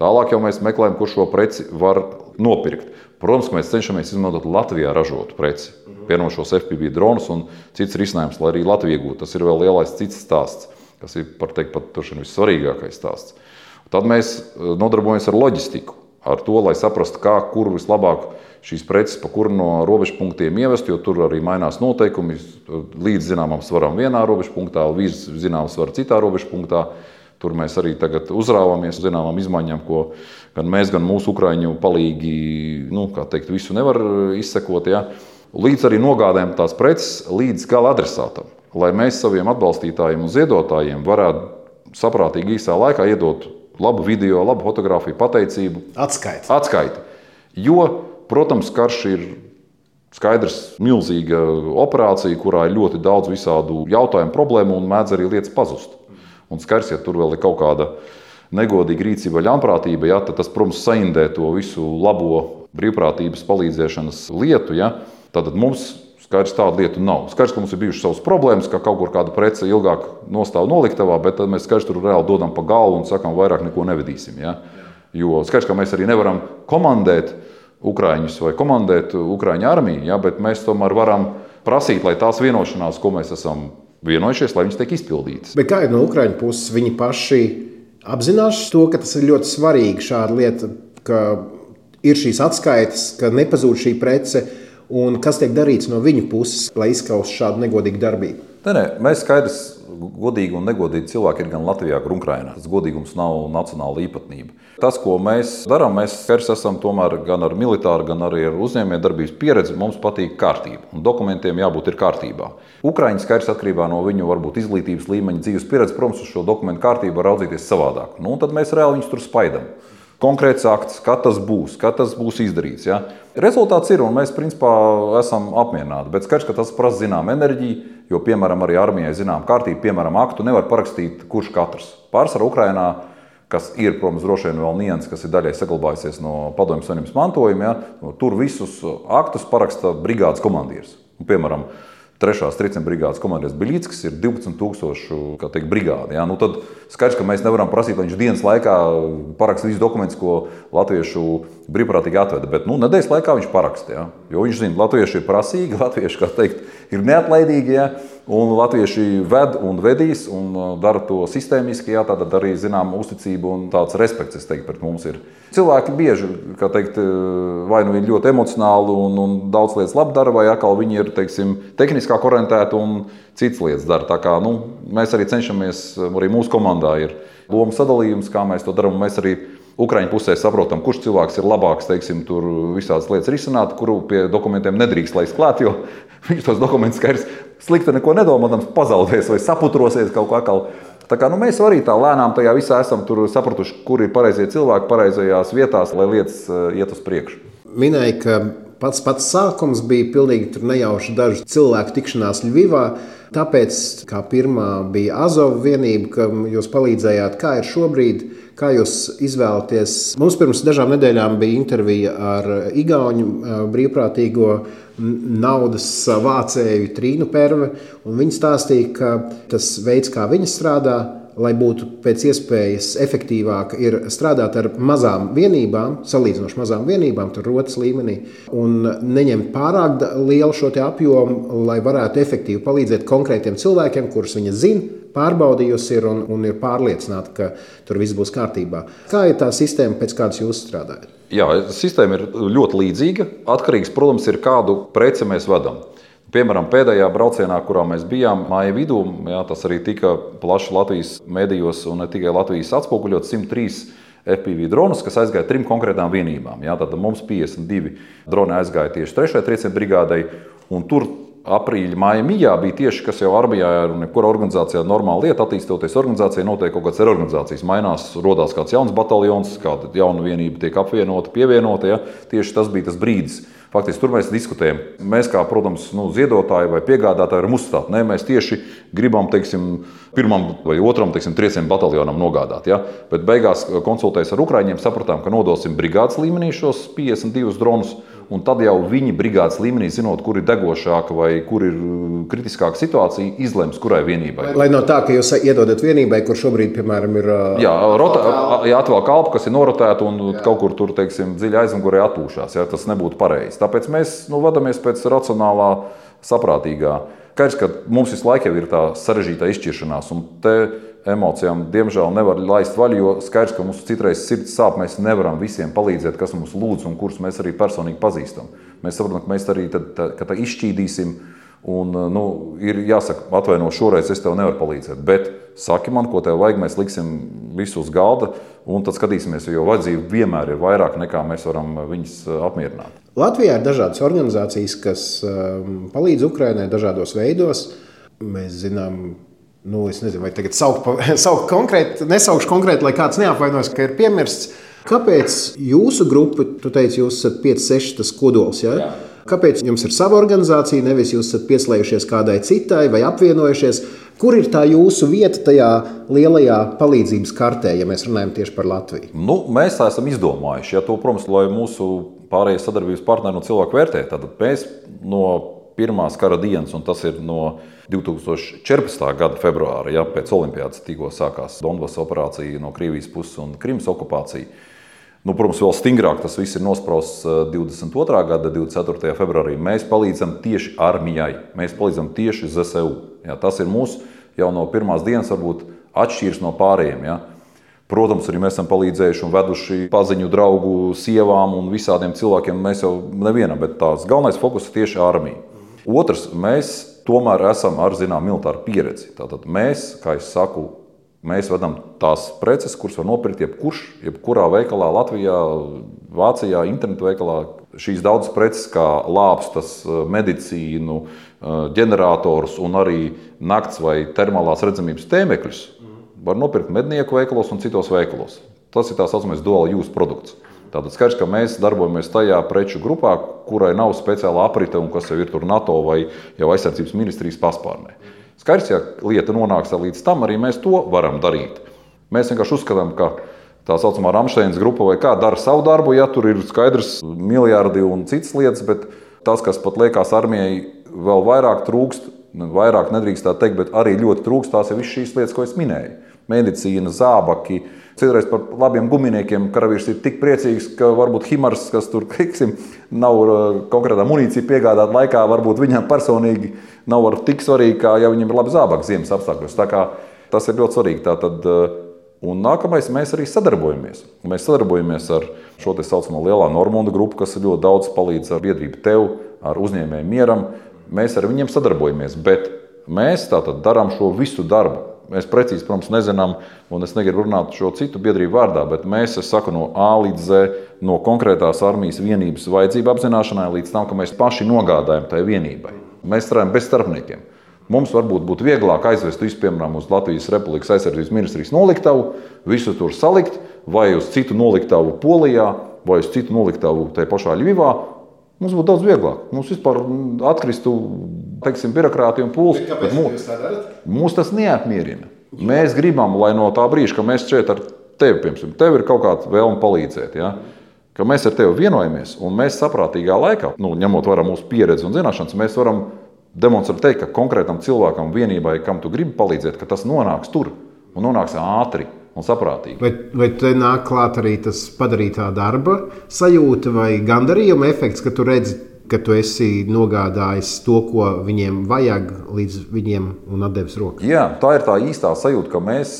Tālāk jau mēs meklējam, kur šo preci var nopirkt. Protams, mēs cenšamies izmantot Latvijā ražotu preci, piemēram šos F P V dronus un cits risinājums, lai arī Latvija iegūtu. Tas ir vēl lielais cits stāsts, kas ir par teikt pat turšana vissvarīgākais stāsts. Tad mēs nodarbojamies ar loģistiku, ar to, lai saprastu, kā, kur vislabāk šīs preces, pa kuru no robežpunktiem ievest, jo tur arī mainās noteikumi, līdz zināmam svaram vienā robežpunktā, līdz zināmam svaram citā robežpunktā. Tur mēs arī tagad uzrāvāmies zināmām izmaiņām, ko gan mēs, gan mūsu ukraiņu palīgi, nu, kā teikt, visu nevar izsekot, ja? Līdz arī nogādājam tās preces līdz gala adresātam, lai mēs saviem atbalstītājiem un ziedotājiem varētu saprātīgi īsā laikā iedot labu video, labu fotografiju, pateicību. Atskaiti. Atskaiti. Jo, protams, karš ir skaidrs milzīga operācija, kurā ir ļoti daudz visādu jautājumu, problēmu un mēdz arī lietas pazust. Un skars, ja tur vēl ir kaut kāda negodīga rīcība vai ļaunprātība, ja, tad tas, protams, saindē to visu labo brīvprātības palīdzēšanas lietu. Ja. Tātad mums skars tādu lietu nav. Skars, ka mums ir bijušas savas problēmas, ka kaut kur kāda prece ilgāk nostāv noliktavā, bet tad mēs skars tur reāli dodam pa galvu un sakām, vairāk neko nevedīsim. Ja. Jo skars, ka mēs arī nevaram komandēt ukraiņus vai komandēt ukraiņu armiju, ja, bet mēs tomēr varam prasīt, lai tās vienošanās, ko mēs esam vienojušies, lai viņas tiek izpildītas. Bet kā ir no Ukraiņu puses, viņi paši apzinās to, ka tas ir ļoti svarīgi šāda lieta, ka ir šīs atskaites, ka nepazūd šī prece, un kas tiek darīts no viņu puses, lai izskaustu šādu negodīgu darbību? Nē, nē, mēs skaidrs, godīgi un negodīgi cilvēki ir gan Latvijā, gan Ukrainā. Tas godīgums nav nacionāla īpatnība. Tas, ko mēs darām, mēs skars esam tomēr gan ar militāru, gan arī ar uzņēmējdarbības pieredzi. Mums patīk kārtība, un dokumentiem jābūt ir kārtībā. Ukraiņi skars atkarībā no viņu varbūt izglītības līmeņa, dzīves pieredzi, protams, uz šo dokumentu kārtību var raudzīties savādāk. Nu, un tad mēs reāli viņus tur spaidam. Konkrēts akts, kad tas būs, kad tas būs izdarīts. Ja? Rezultāts ir, un mēs principā esam apmierināti. Bet skaidrs, ka tas prasa zinām enerģiju, jo, piemēram, arī armijai zinām kārtību, piemēram, aktu nevar parakstīt kurš katrs. Pārsvarā Ukrainā, kas ir, protams, droši vien vēl nianses, kas ir daļai saglabājusies no Padomju Savienības mantojuma, ja? Tur visus aktus paraksta brigādes komandieris. Un, piemēram, trešās tricena brigādes komandieris Biļīckis ir divpadsmit tūkstošu, kā teikt, brigāde. Ja? Nu, tad skaidrs, ka mēs nevaram prasīt, lai viņš dienas laikā paraksta visus dokumentus, ko latviešu brīvprātīgi atveda. Bet nu, nedēļas laikā viņš paraksta. Ja? Jo viņš zina, latvieši ir prasīgi, latvieši, kā teikt, ir neatlaidīgi. Ja? Un latvieši ved un vedīs un dara to sistēmiski, jā, tātad arī zinām uzticību un tāds respekts, es teiktu, pret mums ir. Cilvēki bieži, kā teikt, vai nu ir ļoti emocionāli un, un daudz lietas labi dara, vai atkal viņi ir, teiksim, tehniskāk orientēti un citas lietas dara. Tā kā, nu, mēs arī cenšamies, arī mūsu komandā ir loma sadalījums, kā mēs to darām, un mēs arī Ukraiņu pusē saprotam, kurš cilvēks ir labāks, teiksim, tur visādas lietas risināt, kuru pie dokumentiem nedrīkst laist klāt, jo viņš tos dokumentus skaidrs slikti neko nedomādams pazaudēs vai saputrosies kaut kā atkal. Tā kā nu, mēs arī tā lēnām tajā visā esam tur sapratuši, kur ir pareizie cilvēki pareizajās vietās, lai lietas iet uz priekšu. Minēja, ka pats pats sākums bija pilnīgi tur nejauši dažu cilvēku tikšanās Ļvivā. Tāpēc, kā pirmā bija Azov vienība, ka jūs palīdzējāt, kā ir šobrīd, kā jūs izvēlaties. Mums pirms dažām nedēļām bija intervija ar igauņu brīvprātīgo naudas vācēju Trīnu Perve, un viņa stāstīja, ka tas veids, kā viņa strādā, lai būtu pēc iespējas efektīvāk, ir strādāt ar mazām vienībām, salīdzinoši mazām vienībām, tur rotas līmenī, un neņemt pārāk lielu šo te apjomu, lai varētu efektīvi palīdzēt konkrētiem cilvēkiem, kurus viņa zina, pārbaudījusi ir un, un ir pārliecināta, ka tur viss būs kārtībā. Kā ir tā sistēma, pēc kādas jūs strādājat? Jā, sistēma ir ļoti līdzīga. Atkarīgs, protams, ir kādu preci mēs vedam. Piemēram, pēdējā braucienā, kurā mēs bijām māja vidū, jā, tas arī tika plaši Latvijas medijos un ne tikai Latvijas atspoguļot simt trīs F P V dronus, kas aizgāja trim konkrētām vienībām. Jā, tad mums piecdesmit divi droni aizgāja tieši trešajai trieciena brigādei, un tur aprīļa māja mijā bija tieši, kas jau armijā ir un jebkura organizācijā normāla lieta, attīstoties organizācijai, notiek kaut kāds reorganizācijas, mainās, rodās kāds jauns bataljons, kāda jauna vienība tiek apvienota, pievienota, ja? Tieši tas bija tas brīdis. Faktiski tur mēs diskutējam. Mēs kā, protams, nu, ziedotāji vai piegādātāji varam uzstāt. Nē, mēs tieši gribam, teiksim, pirmam vai otram, teiksim, triecienu bataljonam nogādāt. Ja? Bet beigās konsultējas ar ukraiņiem, sapratām, ka nodosim brigādes līmenī šos piecdesmit divus dronus un tad jau viņi brigādes līmenī, zinot, kur ir degošāka vai kur ir kritiskāka situācija, izlems, kurai vienībai. Lai no tā, ka jūs iedodat vienībai, kur šobrīd, piemēram, ir... Jā, rota, jā atvēl kalpu, kas ir norotēta un jā. Kaut kur tur, teiksim, dziļi aizmugurē atpūšās. Jā, tas nebūtu pareizi. Tāpēc mēs nu, vadamies pēc racionālā, saprātīgā. Skaidrs, ka mums visu laiku ir tā sarežģītā izšķiršanās, un te emocijām, diemžēl, nevar laist vaļu, jo skaidrs, ka mums citreiz sirds sāp, mēs nevaram visiem palīdzēt, kas mums lūdz un kurus mēs arī personīgi pazīstam. Mēs saprotam, ka mēs arī tad, tā, ka tā izšķīdīsim, un, nu, ir jāsaka, atvaino, šoreiz es tev nevaru palīdzēt, bet saki man, ko tev vajag, mēs liksim visu uz galda, un tad skatīsimies, jo vajadzība vienmēr ir vairāk, nekā mēs varam viņus apmierināt. Latvijā ir dažādas organizācijas, kas um, palīdz Ukrainai dažādos veidos. Mēs zinām, nu, es nezinu, vai tagad saukt, saukt konkrēti, nesaukšu konkrēti, lai kāds neapvainojas, ka ir piemirsts. Kāpēc jūsu grupa, tu teici, jūs esat pieci seši tas kodols, ja? Jā? Kāpēc jums ir sava organizācija, nevis jūs esat pieslējušies kādai citai vai apvienojušies? Kur ir tā jūsu vieta tajā lielajā palīdzības kartē, ja mēs runājam tieši par Latviju? Nu, mēs tā esam izdomājuši, ja to, protams, lai mūsu pārējie sadarbības partneri un cilvēku vērtē. Tad mēs no pirmās kara dienas, un tas ir no divi tūkstoši četrpadsmitā gada februāra, ja, pēc olimpiādas tikko sākās Donbasa operācija no Krievijas puses un Krimas okupācija. Nu, protams, vēl stingrāk tas viss ir nosprausts divdesmit otrā gada divdesmit ceturtajā februārī. Mēs palīdzam tieši armijai, mēs palīdzam tieši Z S U. Ja, tas ir mūsu jau no pirmās dienas varbūt atšķīrs no pārējiem. Ja. Protams, arī mēs esam palīdzējuši un veduši paziņu draugu sievām un visādiem cilvēkiem. Mēs jau nevienam, bet tās galvenais fokus ir tieši armija. Otrs, mēs tomēr esam ar zinām militāru pieredzi. Tātad mēs, kā es saku, mēs vedam tās preces, kuras var nopirkt jebkurš, jebkurā veikalā Latvijā, Vācijā, internetu veikalā. Šīs daudzas preces, kā lāpstas, medicīnu, ģeneratorus un arī nakts vai termālās redzamības tēmekļus, var nopirkt mednieku veikalos un citos veikalos. Tas ir tā saucamais dual use produkts. Tātad skaidrs, ka mēs darbojamies tajā preču grupā, kurai nav speciāla aprite un kas jau ir tur NATO vai jau aizsardzības ministrijas paspārnē. Skaidrs, ja lieta nonāks līdz tam, arī mēs to varam darīt. Mēs vienkārši uzskatām, ka tā saucamā Ramšteinas grupa vai kā dara savu darbu, ja tur ir skaidrs miljardi un citas lietas, bet tas, kas pat liekas armijai vēl vairāk trūkst, vairāk nedrīkst tā teikt, bet arī ļoti trūkst, tās ir visas šīs lietas, ko es minēju. Medicīna, zābaki, citreiz par labiem guminiekiem karavīrs ir tik priecīgs, ka varbūt Himars, kas tur, teiksim, nav konkrētā munīcija piegādāt laikā, varbūt viņam personīgi nav ar tik svarīgi, kā ja viņam ir labi zābaki ziemas apstākļos. Tā kā tas ir ļoti svarīgi. Tātad, un nākamais, mēs arī sadarbojamies. Mēs sadarbojamies ar šo te saucamo lielā Normunda grupu, kas ļoti daudz palīdz ar biedrību tev, ar uzņēmēju mieram. Mēs ar viņiem sadarbojamies, bet mēs tātad darām šo visu darbu. Mēs precīzi, protams, nezinām, un es negribu runāt šo citu biedrību vārdā, bet mēs, es saku, no A līdz Z, no konkrētās armijas vienības vajadzību apzināšanai līdz tam, ka mēs paši nogādājam tai vienībai. Mēs strādājam bez starpniekiem. Mums varbūt būtu vieglāk aizvest visu, piemēram, uz Latvijas Republikas aizsardzības ministrijas noliktavu, visu tur salikt, vai uz citu noliktavu Polijā, vai uz citu noliktavu tai pašā Ļivivā. Mums būtu daudz vieglāk. Mums vispār atkristu, teiksim, birokrātija un pūles. Kāpēc jūs tā darat? Mūs tas neapmierina. Mēs gribam, lai no tā brīža, ka mēs šeit ar tevi, piemēram, tev ir kaut kāda vēlme palīdzēt, ja? Ka mēs ar tevi vienojamies un mēs saprātīgā laikā, nu, ņemot vērā mūsu pieredzi un zināšanas, mēs varam demonstrēt teikt, ka konkrētam cilvēkam, vienībai, kam tu gribi palīdzēt, ka tas nonāks tur un nonāks ātri un saprātīgi. Vai, vai te nāk klāt arī tas padarītā darba sajūta vai gandarījuma efekts, ka tu redzi, ka tu esi nogādājis to, ko viņiem vajag, līdz viņiem un atdevis rokas? Jā, tā ir tā īstā sajūta, ka mēs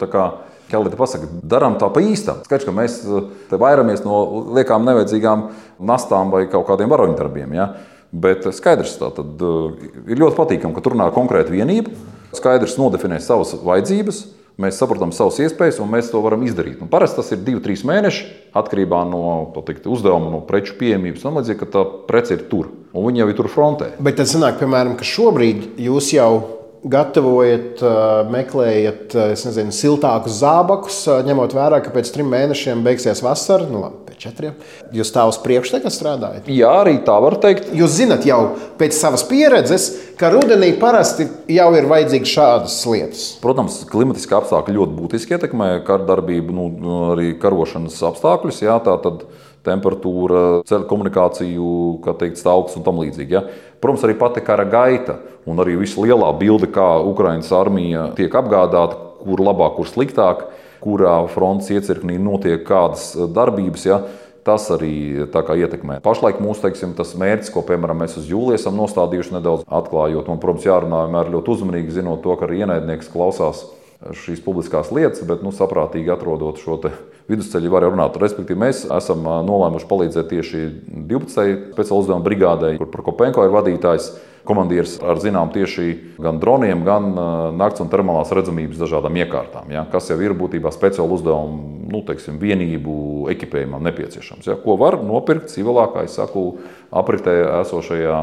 tā kā, kā lai te pasaka, darām tā pa īstam. Skaidrs, ka mēs te vairamies no liekām nevajadzīgām nastām vai kaut kādiem varoņdarbiem, ja? Bet skaidrs, tā tad ir ļoti patīkami, ka tur runā konkrēta vienība, skaidrs nodefinē savas vajadzības, mēs saprotam savas iespējas un mēs to varam izdarīt. Un parasti tas ir divi trīs mēneši atkarībā no teikt, uzdevuma, no preču pieejamības un līdzīgi, ka tā prece ir tur. Un viņi jau ir tur frontē. Bet tad sanāk, piemēram, ka šobrīd jūs jau gatavojat, meklējat, es nezinu, siltākus zābakus, ņemot vērā, ka pēc trim mēnešiem beigsies vasara, nu labi, pēc četriem. Jūs tā uz priekšu tagad strādājat? Jā, arī tā var teikt. Jūs zinat jau pēc savas pieredzes, ka rudenī parasti jau ir vajadzīgas šādas lietas. Protams, klimatiski apstākļi ļoti būtiski ietekmē kardarbību, nu, arī karošanas apstākļus. Jā, tā tad temperatūra, ceļu komunikāciju, kā teikt, stāvoklis un tam līdzīgi. Ja? Protams, arī pati kara gaita un arī visa lielā bilde, kā Ukrainas armija tiek apgādāta, kur labāk, kur sliktāk, kurā frontes iecirknī notiek kādas darbības. Ja? Tas arī tā kā ietekmē. Pašlaik mūsu, teiksim, tas mērķis, ko, piemēram, mēs uz jūliju esam nostādījuši nedaudz atklājot, un, protams, jārunā vienmēr ļoti uzmanīgi, zinot to, ka arī ienaidnieks klausās šīs publiskās lietas, bet, nu, saprātīgi atrodot šo te vidusceļu var runāt. Respektīvi, mēs esam nolēmuši palīdzēt tieši divpadsmitajai speciāla uzdevuma brigādei, kur Prokopenko ir vadītājs, komandieris ar zinām tieši gan droniem, gan nakts un termālās redzamības dažādām iekārtām, ja, kas jau ir būtībā speciāla uzdevuma, nu, teiksim, vienību ekipējumam nepieciešams, ja, ko var nopirkt civilā, kā es saku, apritē esošajā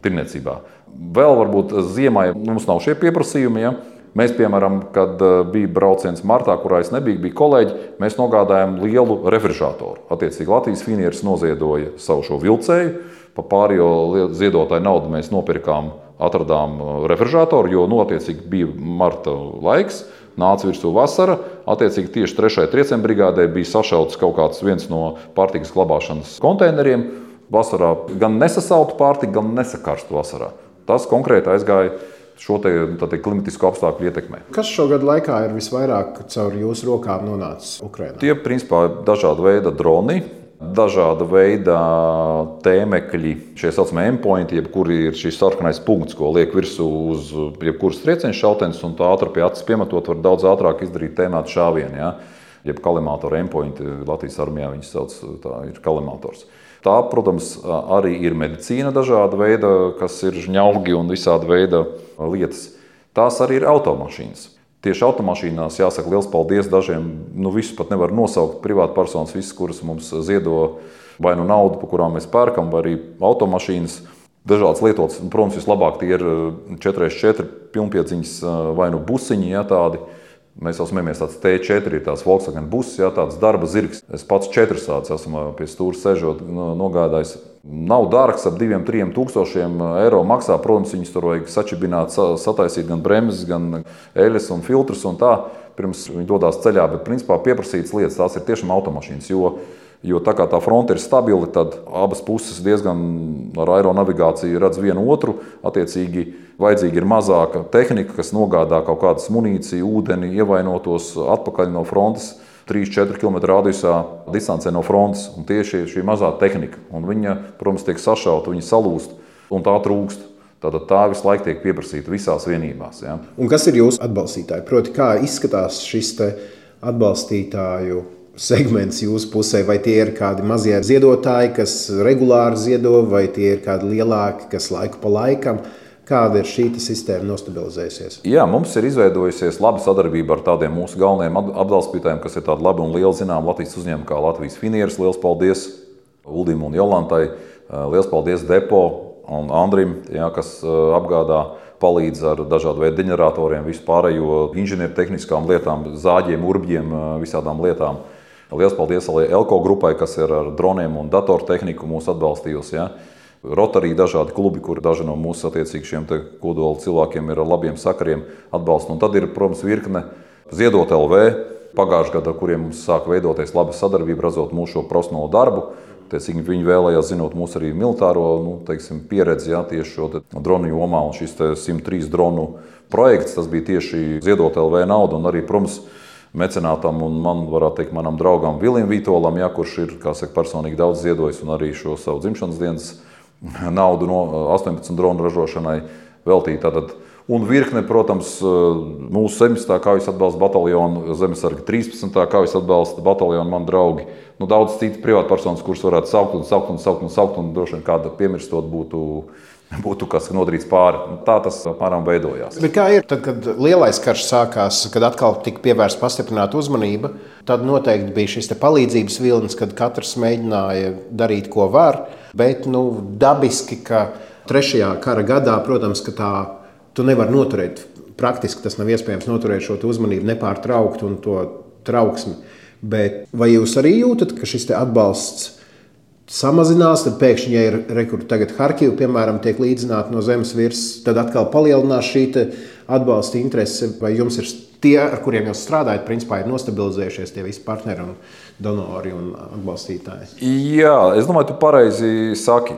tirniecībā. Vēl varbūt ziemai mums nav šie pieprasījumi, ja. Mēs, piemēram, kad bija brauciens martā, kurā es nebiju, bija kolēģi, mēs nogādājām lielu refrižeratoru. Attiecīgi Latvijas Finieris noziedoja savu šo vilcēju, pa pārējo ziedotāju naudu mēs nopirkām, atradām refrižeratoru, jo, nu, attiecīgi bija marta laiks, nāca virsū vasara, attiecīgi tieši trešajai trieciena brigādē bija sašauts kaut kāds viens no pārtikas glabāšanas konteineriem. Vasarā gan nesasaltu pārtiku, gan nesakarstu vasarā. Tas konkrēti aizgāja šo te, te klimatisko apstākļu ietekmē. Kas šogad laikā ir visvairāk caur jūsu rokām nonācis Ukrainā? Tie, principā, dažāda veida droni, dažāda veida tēmekļi, šie saucamie endpointi, jebkuri ir šis sarkanais punkts, ko liek virsū uz jebkuras trieciena šautenes, un tā ātri pie acis piemetot var daudz ātrāk izdarīt tēmētu šāvienu, ja? Jeb kalimātoru endpointi, Latvijas armijā viņas sauc, tā ir kalimātors. Tā, protams, arī ir medicīna dažāda veida, kas ir žņaugi un visāda veida lietas. Tās arī ir automašīnas. Tieši automašīnās jāsaka liels paldies dažiem, nu visus pat nevar nosaukt, privātpersonas, visas, kuras mums ziedo vai nu naudu, pa kurām mēs pērkam, vai arī automašīnas. Dažādas lietotas, protams, vislabāk tie ir četri četri pilnpiedziņas vai nu busiņi, ja, tādi. Mēs jau smamies tāds T četri, tās Volkswagen buses, jā, tāds darba zirgs. Es pats četras tāds esmu pie stūra sežot, nogādājis. Nav dārgs, ap diviem, trim tūkstošiem eiro maksā. Protams, viņus tur vajag sačibināt, sataisīt gan bremzes, gan eļas un filtrus un tā, pirms viņi dodās ceļā. Bet, principā, pieprasītas lietas, tās ir tiešām automašīnas, jo, jo tā kā tā fronte ir stabila, tad abas puses diezgan ar aeronavigāciju redz vienu otru, attiecīgi vajadzīga ir mazāka tehnika, kas nogādā kaut kādas munīciju, ūdeni, ievainotos atpakaļ no frontes trīs četri kilometru radiusā distancē no frontes. Un tieši šī mazā tehnika. Un viņa, protams, tiek sašauta, viņa salūst un tā trūkst. Tātad tā visu laiku tiek pieprasīta visās vienībās. Ja. Un kas ir jūsu atbalstītāji? Proti, kā izskatās šis te atbalstītāju segments jūsu pusē? Vai tie ir kādi mazie ziedotāji, kas regulāri ziedo, vai tie ir kādi lielāki, kas laiku pa laikam? Kāda ir šī sistēma nostabilizējusies? Jā, mums ir izveidojusies laba sadarbība ar tādiem mūsu galvenajiem atbalstītājiem, kas ir tādi labi un lieli zinām Latvijas uzņēmumi kā Latvijas Finieris. Liels paldies Uldim un Jolantai. Liels paldies Depo un Andrim, jā, kas apgādā, palīdz ar dažādu veidu ģeneratoriem, visu pārējo inženiertehniskām lietām, zāģiem, urbģiem, visādām lietām. Liels paldies arī Elko grupai, kas ir ar droniem un datortehniku mūs atbalstījusi. Jā. Rotarī dažādi klubi, kur daži no mūsu attiecīgi šiem te kodola cilvēkiem ir ar labiem sakariem atbalsta. Un tad ir, protams, virkne Ziedot L V pagājušajā gadā, kuriem mums sāk veidoties laba sadarbība, redzot mūsu šo profesionālo darbu. Tiecīgi viņi vēlējās zinot mūsu arī militāro, nu, teiksim, pieredzi, jā, tieši šo te dronu jomā. Un šis te simt trīs dronu projekts, tas bija tieši Ziedot L V nauda un arī, protams, mecenātam un man, varētu teikt, manam draugam Vilim Vītolam, jā, kurš ir, kā saka, personīgi daudz ziedojis un arī šo savu dzimšanas dienas naudu no astoņpadsmit dronu ražošanai veltīt. Tātad, un virkne, protams, mūsu septiņpadsmitā kaujas atbalsta bataljonu, Zemesarga trīspadsmitā kaujas atbalsta bataljonu, man draugi. Nu, daudz citu privātpersonas, kuras varētu saukt un saukt un saukt un saukt, un droši vien kāda piemirstot būtu, būtu kas nodarīts pāri. Tā tas apmēram veidojās. Bet kā ir tad, kad lielais karš sākās, kad atkal tika pievērsta pastiprināta uzmanība, tad noteikti bija šis te palīdzības vilnis, kad katrs mēģināja darīt, ko var. Bet nu, dabiski, ka trešajā kara gadā, protams, ka tā tu nevar noturēt, praktiski tas nav iespējams noturēt šo uzmanību nepārtraukt un to trauksmi. Bet vai jūs arī jūtat, ka šis te atbalsts samazinās, tad pēkšņi, ja ir rekur tagad Harkiva, piemēram, tiek līdzināta no zemes virs, tad atkal palielinās šī te atbalsta interese, vai jums ir tie, ar kuriem jūs strādājat, principā ir nostabilizējušies tie visi partneri un donori un atbalstītāji. Jā, es domāju, tu pareizi saki.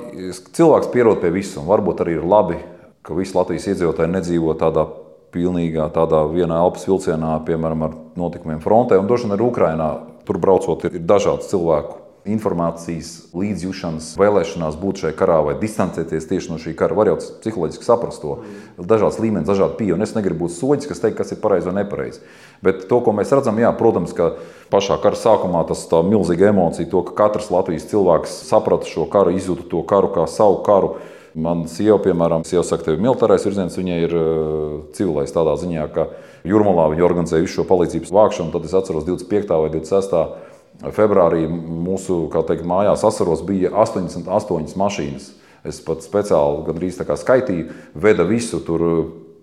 Cilvēks pierod pie visu, un varbūt arī ir labi, ka visi Latvijas iedzīvotāji nedzīvo tādā pilnīgā, tādā vienā elpas vilcienā, piemēram, ar notikumiem frontē, un droši vien arī Ukrainā. Tur braucot ir dažāds cilvēku informācijas, līdzjūšanas, vēlēšanās būt šajā karā vai distancēties tieši no šī kara. Var jau psiholoģiski saprast to. Dažāds līmenis, dažādi pieeja, un es negribu būt soģis, kas teikt, kas ir pareizi vai nepareizi. Bet to, ko mēs redzam, jā, protams, ka pašā kara sākumā tas tā milzīga emocija, to, ka katrs Latvijas cilvēks saprata šo karu, izjūta to karu kā savu karu. Man sieva, piemēram, sieva saka, tev ir militārais virziens, viņai ir uh, civilais tādā ziņā, ka Jūrmalā viņi organizēja visu šo palīdzības vākšanu, tad es atceros divdesmit piektā vai divdesmit sestā februārī mūsu, kā teikt, mājās Asaros bija astoņdesmit astoņas mašīnas. Es pat speciāli gandrīz tā kā skaitīju, veda visu tur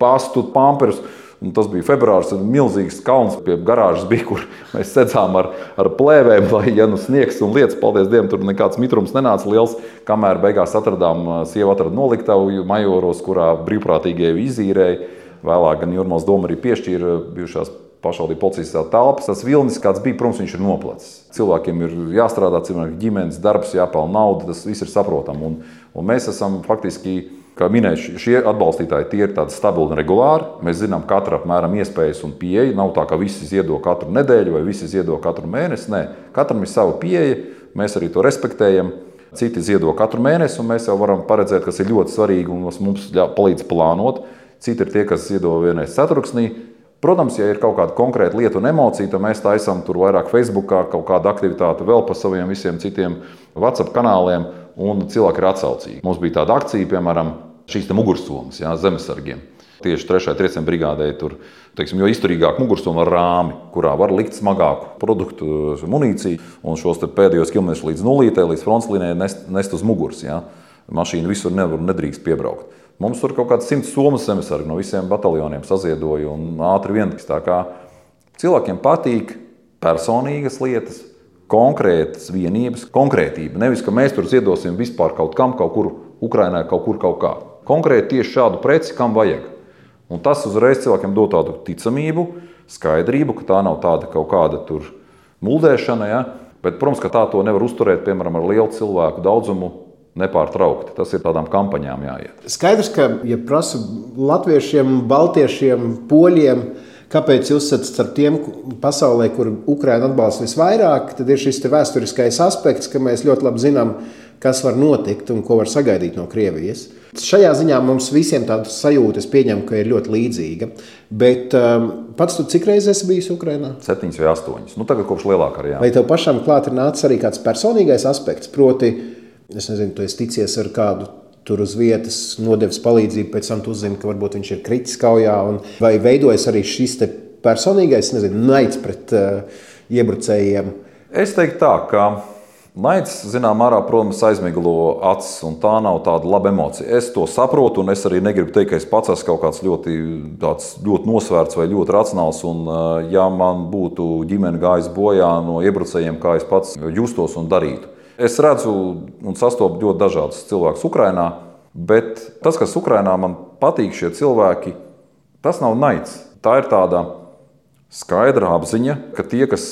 pastu, pamperus. Un tas bija februārs, un milzīgs kalns pie garāžas bija, kur mēs sēdzām ar, ar plēvēm, lai, ja nu sniegs un lietas, paldies Dievam, tur nekāds mitrums nenāca liels, kamēr beigās atradām, sieva atrada noliktavu Majoros, kurā brīvprātīgie izīrēja. Vēlāk gan Jūrmals doma arī piešķīra bijušās pašvaldību policijas telpas. Tas vilnis, kāds bija, protams, viņš ir noplacis. Cilvēkiem ir jāstrādā, cilvēkiem ģimenes darbs, jāpelna nauda, tas viss ir saprotam. Un, un mēs esam faktiski, kā minēju, šie atbalstītāji, tie ir tādi stabili un regulāri. Mēs zinām katra apmēram iespējas un pieeja. Nav tā, ka visi ziedo katru nedēļu vai visi ziedo katru mēnesi. Nē, katram ir sava pieeja, mēs arī to respektējam. Citi ziedo katru mēnesi, un mēs jau varam paredzēt, kas ir ļoti svarīgi un kas mums palīdz plānot. Citi ir tie, kas ziedo vienreiz ceturksnī. Protams, ja ir kaut kāda konkrēta lieta un emocija, tad mēs taisām tur vairāk Facebookā, kaut kāda aktivitāte vēl pa saviem visiem citiem WhatsApp kanāliem, un cilvēki ir atsaucīgi. Mums bija tāda akcija, piemēram, šīs te mugursomas, jā, zemesargiem. Tieši trešajai trieciena brigādei tur, teiksim, jo izturīgāk mugursoma ar rāmi, kurā var likt smagāku produktu, munīciju, un šos te pēdējos kilometrus līdz nulītē, līdz frontslīnijai nest, nest uz muguras, jā. Mašīna visur nevar, nedrīkst piebraukt. Mums tur kaut kāds simts somas zemesargi no visiem bataljoniem saziedoja un ātri vien. Tā kā cilvēkiem patīk personīgas lietas, konkrētas vienības, konkrētība. Nevis, ka mēs tur ziedosim vispār kaut kam, kaut kur Ukrainā, kaut kur kaut kā. Konkrēti tieši šādu preci, kam vajag. Un tas uzreiz cilvēkiem dod tādu ticamību, skaidrību, ka tā nav tāda kaut kāda tur muldēšana. Ja? Bet, protams, ka tā to nevar uzturēt, piemēram, ar lielu cilvēku daudzumu. Nepārtraukti. Tas ir tādām kampaņām jāiet. Skaidrs, ka, ja prasa latviešiem, baltiešiem, poļiem, kāpēc jūs esat starp tiem pasaulē, kur Ukraina atbalsta visvairāk, tad ir šis te vēsturiskais aspekts, ka mēs ļoti labi zinām, kas var notikt un ko var sagaidīt no Krievijas. Šajā ziņā mums visiem tāda sajūta, es pieņemu, ka ir ļoti līdzīga. Bet um, pats tu cik reizes esi bijis Ukrainā? Septiņas vai astoņas. Nu, tagad kopš lielākā arī. Jā. Vai tev pašam klāt ir nācis arī kāds personīgais aspekts, proti, es nezinu, tu esi ticies ar kādu tur uz vietas, nodevis palīdzību, pēc tam tu uzzini, ka varbūt viņš ir kritis kaujā, un vai veidojas arī šis te personīgais, nezinu, naids pret uh, iebrucējiem? Es teiktu tā, ka naids, zinām, ārā, protams, aizmiglo acis, un tā nav tāda laba emocija. Es to saprotu, un es arī negribu teikt, ka es pats esmu kaut kāds ļoti, tāds, ļoti nosvērts vai ļoti racionāls, un uh, ja man būtu ģimene gājis bojā no iebrucējiem, kā es pats justos un darītu. Es redzu un sastopu ļoti dažādus cilvēkus Ukrainā, bet tas, kas Ukrainā man patīk, šie cilvēki, tas nav naids. Tā ir tāda skaidra apziņa, ka tie, kas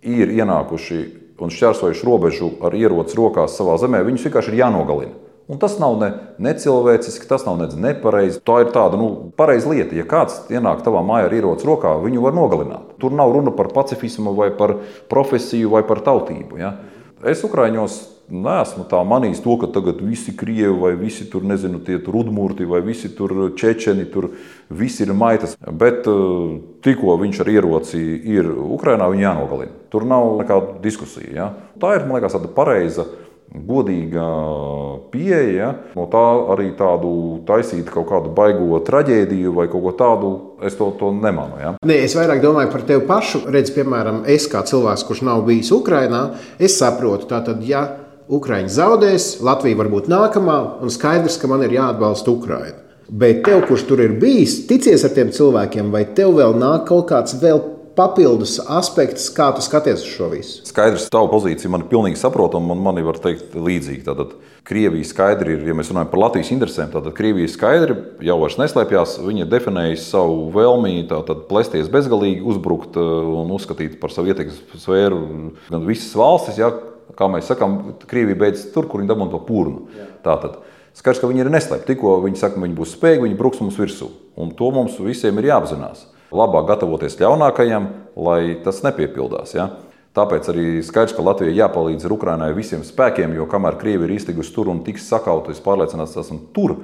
ir ienākuši un šķērsojuši robežu ar ieroci rokās savā zemē, viņus vienkārši ir jānogalina. Un tas nav ne necilvēciski, tas nav ne nepareizi. Tā ir tāda nu, pareiza lieta. Ja kāds ienāk tavā mājā ar ieroci rokā, viņu var nogalināt. Tur nav runa par pacifismu vai par profesiju vai par tautību. Ja? Es Ukraiņos neesmu tā manījis to, ka tagad visi krievi vai visi tur, nezinu, tie tur udmurti vai visi tur čečeni, tur visi ir maitas. Bet tikko viņš ar ieroci ir Ukrainā, viņu jānogalina. Tur nav nekāda diskusija. Ja? Tā ir, man liekas, tāda pareiza, godīga pieeja. Ja? No tā arī tādu taisīt kaut kādu baigo traģēdiju vai kaut ko tādu, es to, to nemanu. Ja? Nē, es vairāk domāju par tevi pašu. Redz, piemēram, es kā cilvēks, kurš nav bijis Ukrainā, es saprotu, tātad, ja Ukraiņi zaudēs, Latvija varbūt nākamā, un skaidrs, ka man ir jāatbalsta Ukraina. Bet tev, kurš tur ir bijis, ticies ar tiem cilvēkiem, vai tev vēl nāk kaut kāds vēl papildus aspekts, kā tu skaties uz šo visu? Skaidrs, tavu pozīciju man ir pilnīgi saprotama, un man var teikt līdzīgi. Tātad Krievija skaidri ir, ja mēs runājam par Latvijas interesēm, tad Krievija skaidri jau vairs neslēpjās, viņa ir definējusi savu vēlmi tātad plesties bezgalīgi, uzbrukt un uzskatīt par savu ietekmes sfēru gan visas valstis, ja, kā mēs sakām, Krievija beidz tur, kur viņa dabūna to purnu. Tātad skaidrs, ka viņi ir neslēpti. Tikko viņi saka, ka viņi būs spējīgi, viņi bruks mums virsū. Un to mums visiem ir jāapzinās. Labāk gatavoties ļaunākajam, lai tas nepiepildās. Ja? Tāpēc arī skaidrs, ka Latvijai jāpalīdz Ukrainai visiem spēkiem, jo kamēr Krievi ir iztigusi tur un tiks sakauti, es pārliecināts, tas un tur,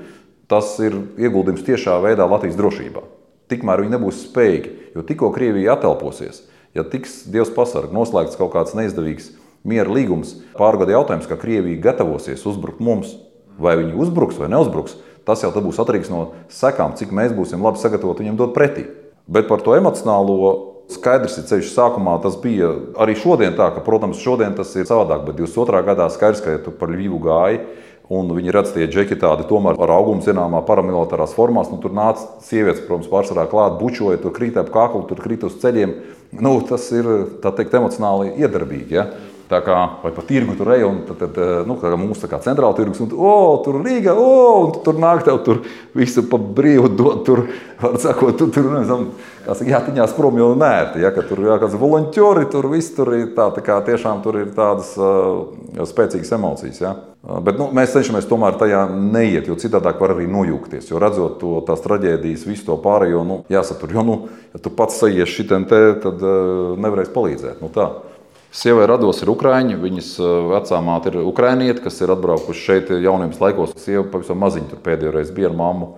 tas ir ieguldījums tiešā veidā Latvijas drošībā. Tikmēr viņi nebūs spējīgi, jo tikko Krievija atelposies, ja tiks Dievs pasarg, noslēgts kaut kāds neizdevīgs miera līgums, pārgada jautājums, ka Krievija gatavosies uzbrukt mums, vai viņi uzbruks vai neuzbruks, tas jau tad būs atkarīgs no sekām, cik mēs būsim labi sagatavoti viņiem dot pretī. Bet par to emocionālo skaidrs ir ceļš sākumā, tas bija arī šodien tā, ka, protams, šodien tas ir savādāk, bet divdesmit otrā gadā skaidrs, ka ja tu par Ļivu gāji, un viņi redz tie džeki tādi tomēr ar augumu zināmā paramilitārās formās, nu tur nāca sievietes, protams, pārsvarā klāt, bučoja, tur krīt ap kaklu, tur krīt uz ceļiem, nu tas ir, tā teikt, emocionāli iedarbīgi, ja. Tā kā, vai pa tirgu tur ej, un tad, tad nu, kā mums tā kā centrāla tirgus, un o, tur Rīga, o, un tur nāk tev tur visu pa brīvu dot, tur, var sakot, tu tur, nezinu, kā saka, jātiņās prom jau nērti, ja, ka tur jā, kāds volonķori, tur viss tur ir tā, tā kā tiešām tur ir tādas uh, spēcīgas emocijas, ja. Bet, nu, mēs cenšamies tomēr tajā neiet, jo citādāk var arī nojūgties, jo redzot to, tās traģēdijas, visu to pārējo, nu, jāsatur, jo, nu, ja tu pats sajies šitien te, tad uh, nevarēs palīdzēt, nu tā. Sievai rados ir ukraiņi, viņas vecā māte ir ukrainiete, kas ir atbraukuši šeit jaunības laikos. Sieva pavisam maziņa tur pēdējo reizi bija ar mammu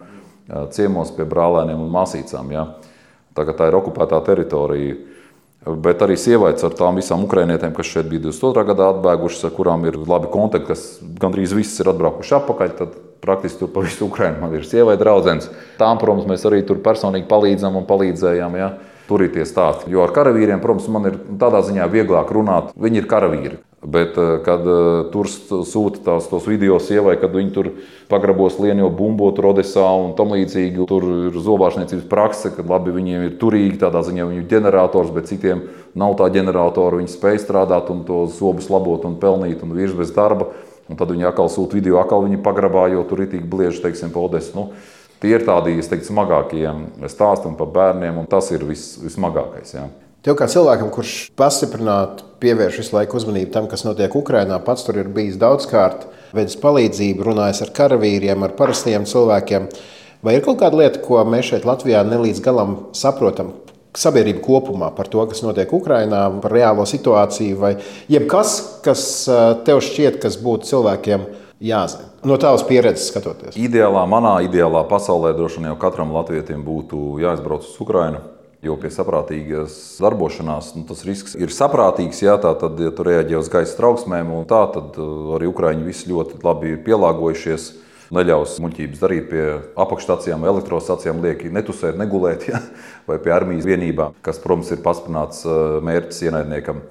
ciemos pie brālēniem un māsīcām. Ja. Tagad tā ir okupētā teritorija. Bet arī sievaites ar tām visām ukrainietēm, kas šeit bija divdesmit otrā gadā atbēgušas, ar kurām ir labi kontakti, kas gandrīz visas ir atbraukuši apakaļ, tad praktiski tur pa visu Ukrainu man ir sievai draudzenes. Tām, protams, mēs arī tur personīgi palīdzam un palīdzējām. Ja. Tur ir tie stāsti. Jo ar karavīriem, protams, man ir tādā ziņā vieglāk runāt. Viņi ir karavīri. Bet, kad tur sūta tās, tos video sievai, kad viņi tur pagrabos lienjo bumbot Odesā un tam līdzīgi, tur ir zobārstniecības prakse, kad labi viņiem ir turīgi, tādā ziņā viņu ģenerators, bet citiem nav tā ģeneratora, viņi spēj strādāt un to zobus labot un pelnīt un virs bez darba. Un tad viņi atkal sūta video, atkal viņi pagrabā, jo tur ir tik blieži, teiksim, pa Odesu. Nu, tie ir tādi, es teiktu, smagākie stāsti par bērniem, un tas ir vis, vismagākais. Jā. Tev kā cilvēkam, kurš pastiprināti pievērš visu laiku uzmanību tam, kas notiek Ukrainā, pats tur ir bijis daudzkārt, veids palīdzību, runājis ar karavīriem, ar parastajiem cilvēkiem. Vai ir kaut kāda lieta, ko mēs šeit Latvijā nelīdz galam saprotam, sabiedrība kopumā par to, kas notiek Ukrainā, par reālo situāciju, vai jebkas, kas tev šķiet, kas būtu cilvēkiem jāzina? No tavas pieredzes skatoties. Ideālā, manā ideālā pasaulē droši vien jau katram latvietim būtu jāizbrauc uz Ukrainu, jo pie saprātīgas darbošanās nu, tas risks ir saprātīgs, jā, tā tad, ja tu reaģē uz gaisa trauksmēm un tā, tad arī Ukraiņi visi ļoti labi ir pielāgojušies, neļaus muļķības darīt pie apakšstacijām, elektrostacijām, lieki netusēt, negulēt, jā, vai pie armijas vienībām, kas, protams, ir pastiprināts mērķis ienaidniekam.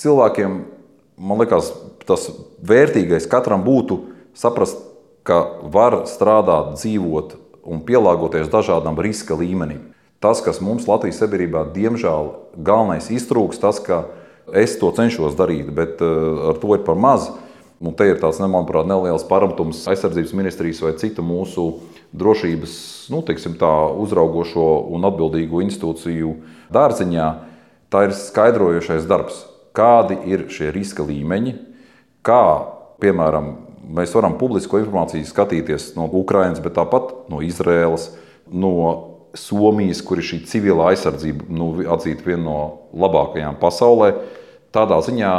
Cilvēkiem, man liekas, tas vērtīgais katram būtu saprast, ka var strādāt, dzīvot un pielāgoties dažādam riska līmenim. Tas, kas mums Latvijas sabiedrībā, diemžēl, galvenais iztrūks, tas, ka es to cenšos darīt, bet ar to ir par maz. Un te ir tāds, manuprāt, neliels paramtums aizsardzības ministrijas vai citu mūsu drošības, nu, teiksim tā, uzraugošo un atbildīgo institūciju dārziņā. Tā ir skaidrojošais darbs. Kādi ir šie riska līmeņi, kā, piemēram, mēs varam publisko informāciju skatīties no Ukrainas, bet tāpat no Izraēlas, no Somijas, kur ir šī civilā aizsardzība, nu, atzīta viena no labākajām pasaulē. Tādā ziņā,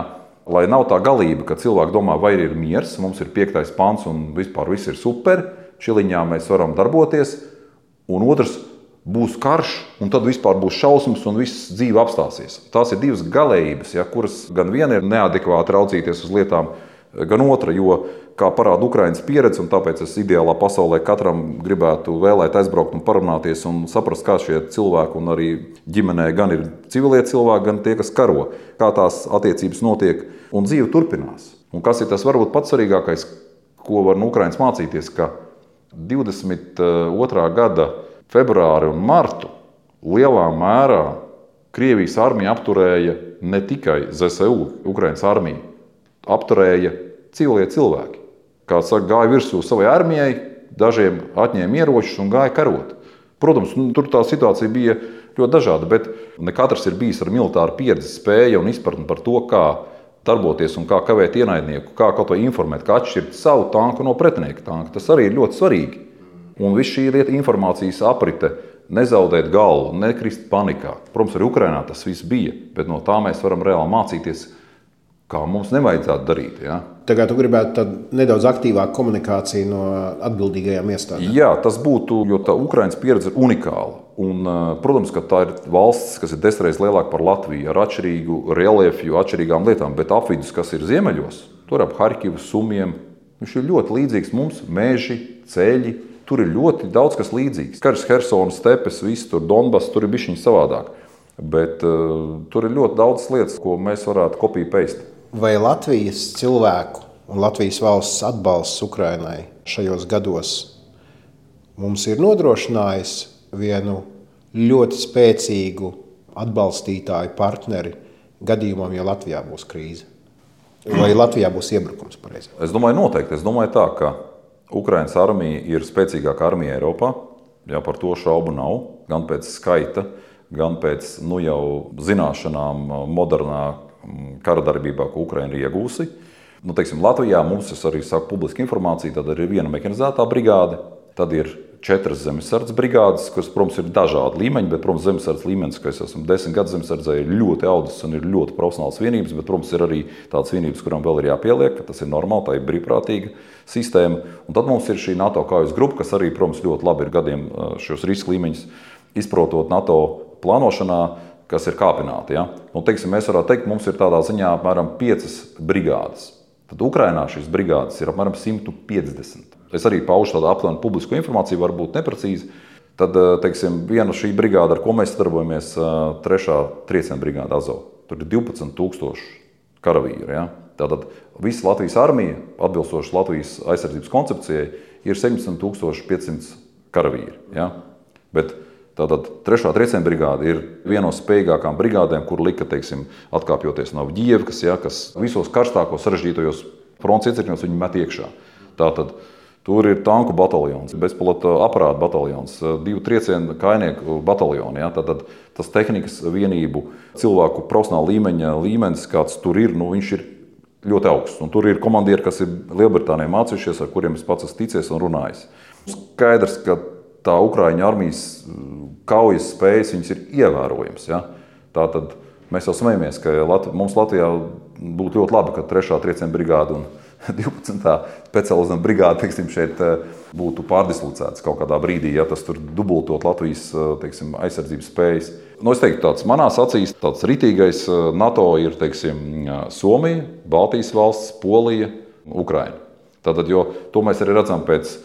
lai nav tā galība, ka cilvēki domā, vai ir miers, mums ir piektais pants un vispār viss ir super, šiliņā mēs varam darboties, un otrs būs karš, un tad vispār būs šausmas un viss dzīve apstāsies. Tās ir divas galējības, ja, kuras gan viena ir neadekvāti raudzīties uz lietām, gan otra, jo, kā parāda Ukrainas pieredze, un tāpēc es ideālā pasaulē katram gribētu vēlēt aizbraukt un parunāties un saprast, kā šie cilvēki un arī ģimenē gan ir civilie cilvēki, gan tie, kas karo, kā tās attiecības notiek un dzīve turpinās. Un kas ir tas varbūt pats svarīgākais, ko var no Ukrainas mācīties, ka divdesmit otrā gada februāri un martu lielā mērā Krievijas armija apturēja ne tikai Z S U, Ukrainas armija, apturēja civilie cilvēki. Kā saka, gāja virsū savai armijai, dažiem atņēma ieročus un gāja karot. Protams, nu, tur tā situācija bija ļoti dažāda, bet ne katrs ir bijis ar militāru pieredzi, spēju un izpratni par to, kā darboties un kā kavēt ienaidnieku, kā kaut ko informēt, kā atšķirt savu tanku no pretinieka tanka. Tas arī ir ļoti svarīgi. Un viss šī lieta informācijas aprite, nezaudēt galvu, nekrist panikā. Protams, arī Ukrainā tas viss bija, bet no tā mēs varam reāli mācīties, kā mums nevajadzētu darīt. Ja? Tagad tu gribētu tad nedaudz aktīvāku komunikāciju no atbildīgajām iestādēm. Jā, tas būtu, jo tā Ukrainas pieredze ir unikāla. Un, protams, ka tā ir valsts, kas ir desmit reizes lielāka par Latviju, ar atšķirīgu reliefu, atšķirīgām lietām, bet apvidus, kas ir ziemeļos, tur ap Harkivu, Sumiem, viņš ir ļoti līdzīgs mums, meži, ceļi, tur ir ļoti daudz kas līdzīgs. Karš, Hersonas, stepes, viss tur, Donbass, tur ir bišķiņ savādāk. Bet uh, tur ir ļoti daudz lietas, ko mēs varētu copy-paste. Vai Latvijas cilvēku un Latvijas valsts atbalsts Ukrainai šajos gados mums ir nodrošinājis vienu ļoti spēcīgu atbalstītāju partneri gadījumam, ja Latvijā būs krīze? Vai Latvijā būs iebrukums pareizi? Es domāju noteikti. Es domāju tā, ka Ukrainas armija ir spēcīgākā armija Eiropā. Jā, par to šaubu nav. Gan pēc skaita, gan pēc nu, jau zināšanām modernā kara darbībā, ko Ukraina ir iegūsi. Nu, teiksim, Latvijā mums, es arī saku publisku informāciju, tad ir viena mehanizētā brigāde, tad ir četras zemesardzes brigādes, kas, protams, ir dažādi līmeņi, bet, protams, zemesardzes līmenis, ka es esmu desmit gadus zemesardzē, ir ļoti audzis un ir ļoti profesionāls vienības, bet, protams, ir arī tādas vienības, kurām vēl ir jāpieliek, ka tas ir normāli, tā ir brīvprātīga sistēma. Un tad mums ir šī NATO kaujas grupa, kas arī, protams, ļoti labi ir gadiem šos riska līmeņus izprotot NATO plānošanā, kas ir kāpināti. Ja? Un, teiksim, mēs varētu teikt, mums ir tādā ziņā apmēram piecas brigādes. Tad Ukrainā šīs brigādes ir apmēram simt piecdesmit. Es arī paužu tādu aptuvenu publisku informāciju, varbūt neprecīzi. Tad, teiksim, viena šī brigāda, ar ko mēs sadarbojamies, trešā trieciena brigāda Azov. Tur ir divpadsmit tūkstoši karavīri. Ja? Tātad visa Latvijas armija, atbilstoši Latvijas aizsardzības koncepcijai, ir septiņdesmit tūkstoši piecsimt karavīri. Ja? Bet tātad trešā trieciena brigāde ir viena no spējīgākām brigādēm, kur lika, teiksim, atkāpjoties no Avdijevkas, ja, kas visos karstākos sarežģītajos fronts iecirkņos viņi met iekšā. Tātad tur ir tanku bataljons, bezpilota aparāta bataljons, divu triecienu kainieku bataljoni. Ja, tātad tas tehnikas vienību cilvēku profesionāla līmeņa līmenis, kāds tur ir, nu, viņš ir ļoti augsts. Un tur ir komandieri, kas ir Lielbritānijā mācījušies, ar kuriem es pats esmu ticies un runājis. Skaidrs, ka tā Ukraiņu armijas kaujas spējas viņas ir ievērojams. Ja? Tātad mēs jau smejamies, ka Lat- mums Latvijā būtu ļoti labi, ka trešā trieciena brigāda un divpadsmitā specializēta brigāde, teiksim, šeit būtu pārdislocētas kaut kādā brīdī, ja tas tur dubultot Latvijas, teiksim, aizsardzības spējas. Nu, es teiktu, tāds manās acīs tāds ritīgais NATO ir, teiksim, Somija, Baltijas valsts, Polija, Ukraina. Tātad, jo to mēs arī redzam pēc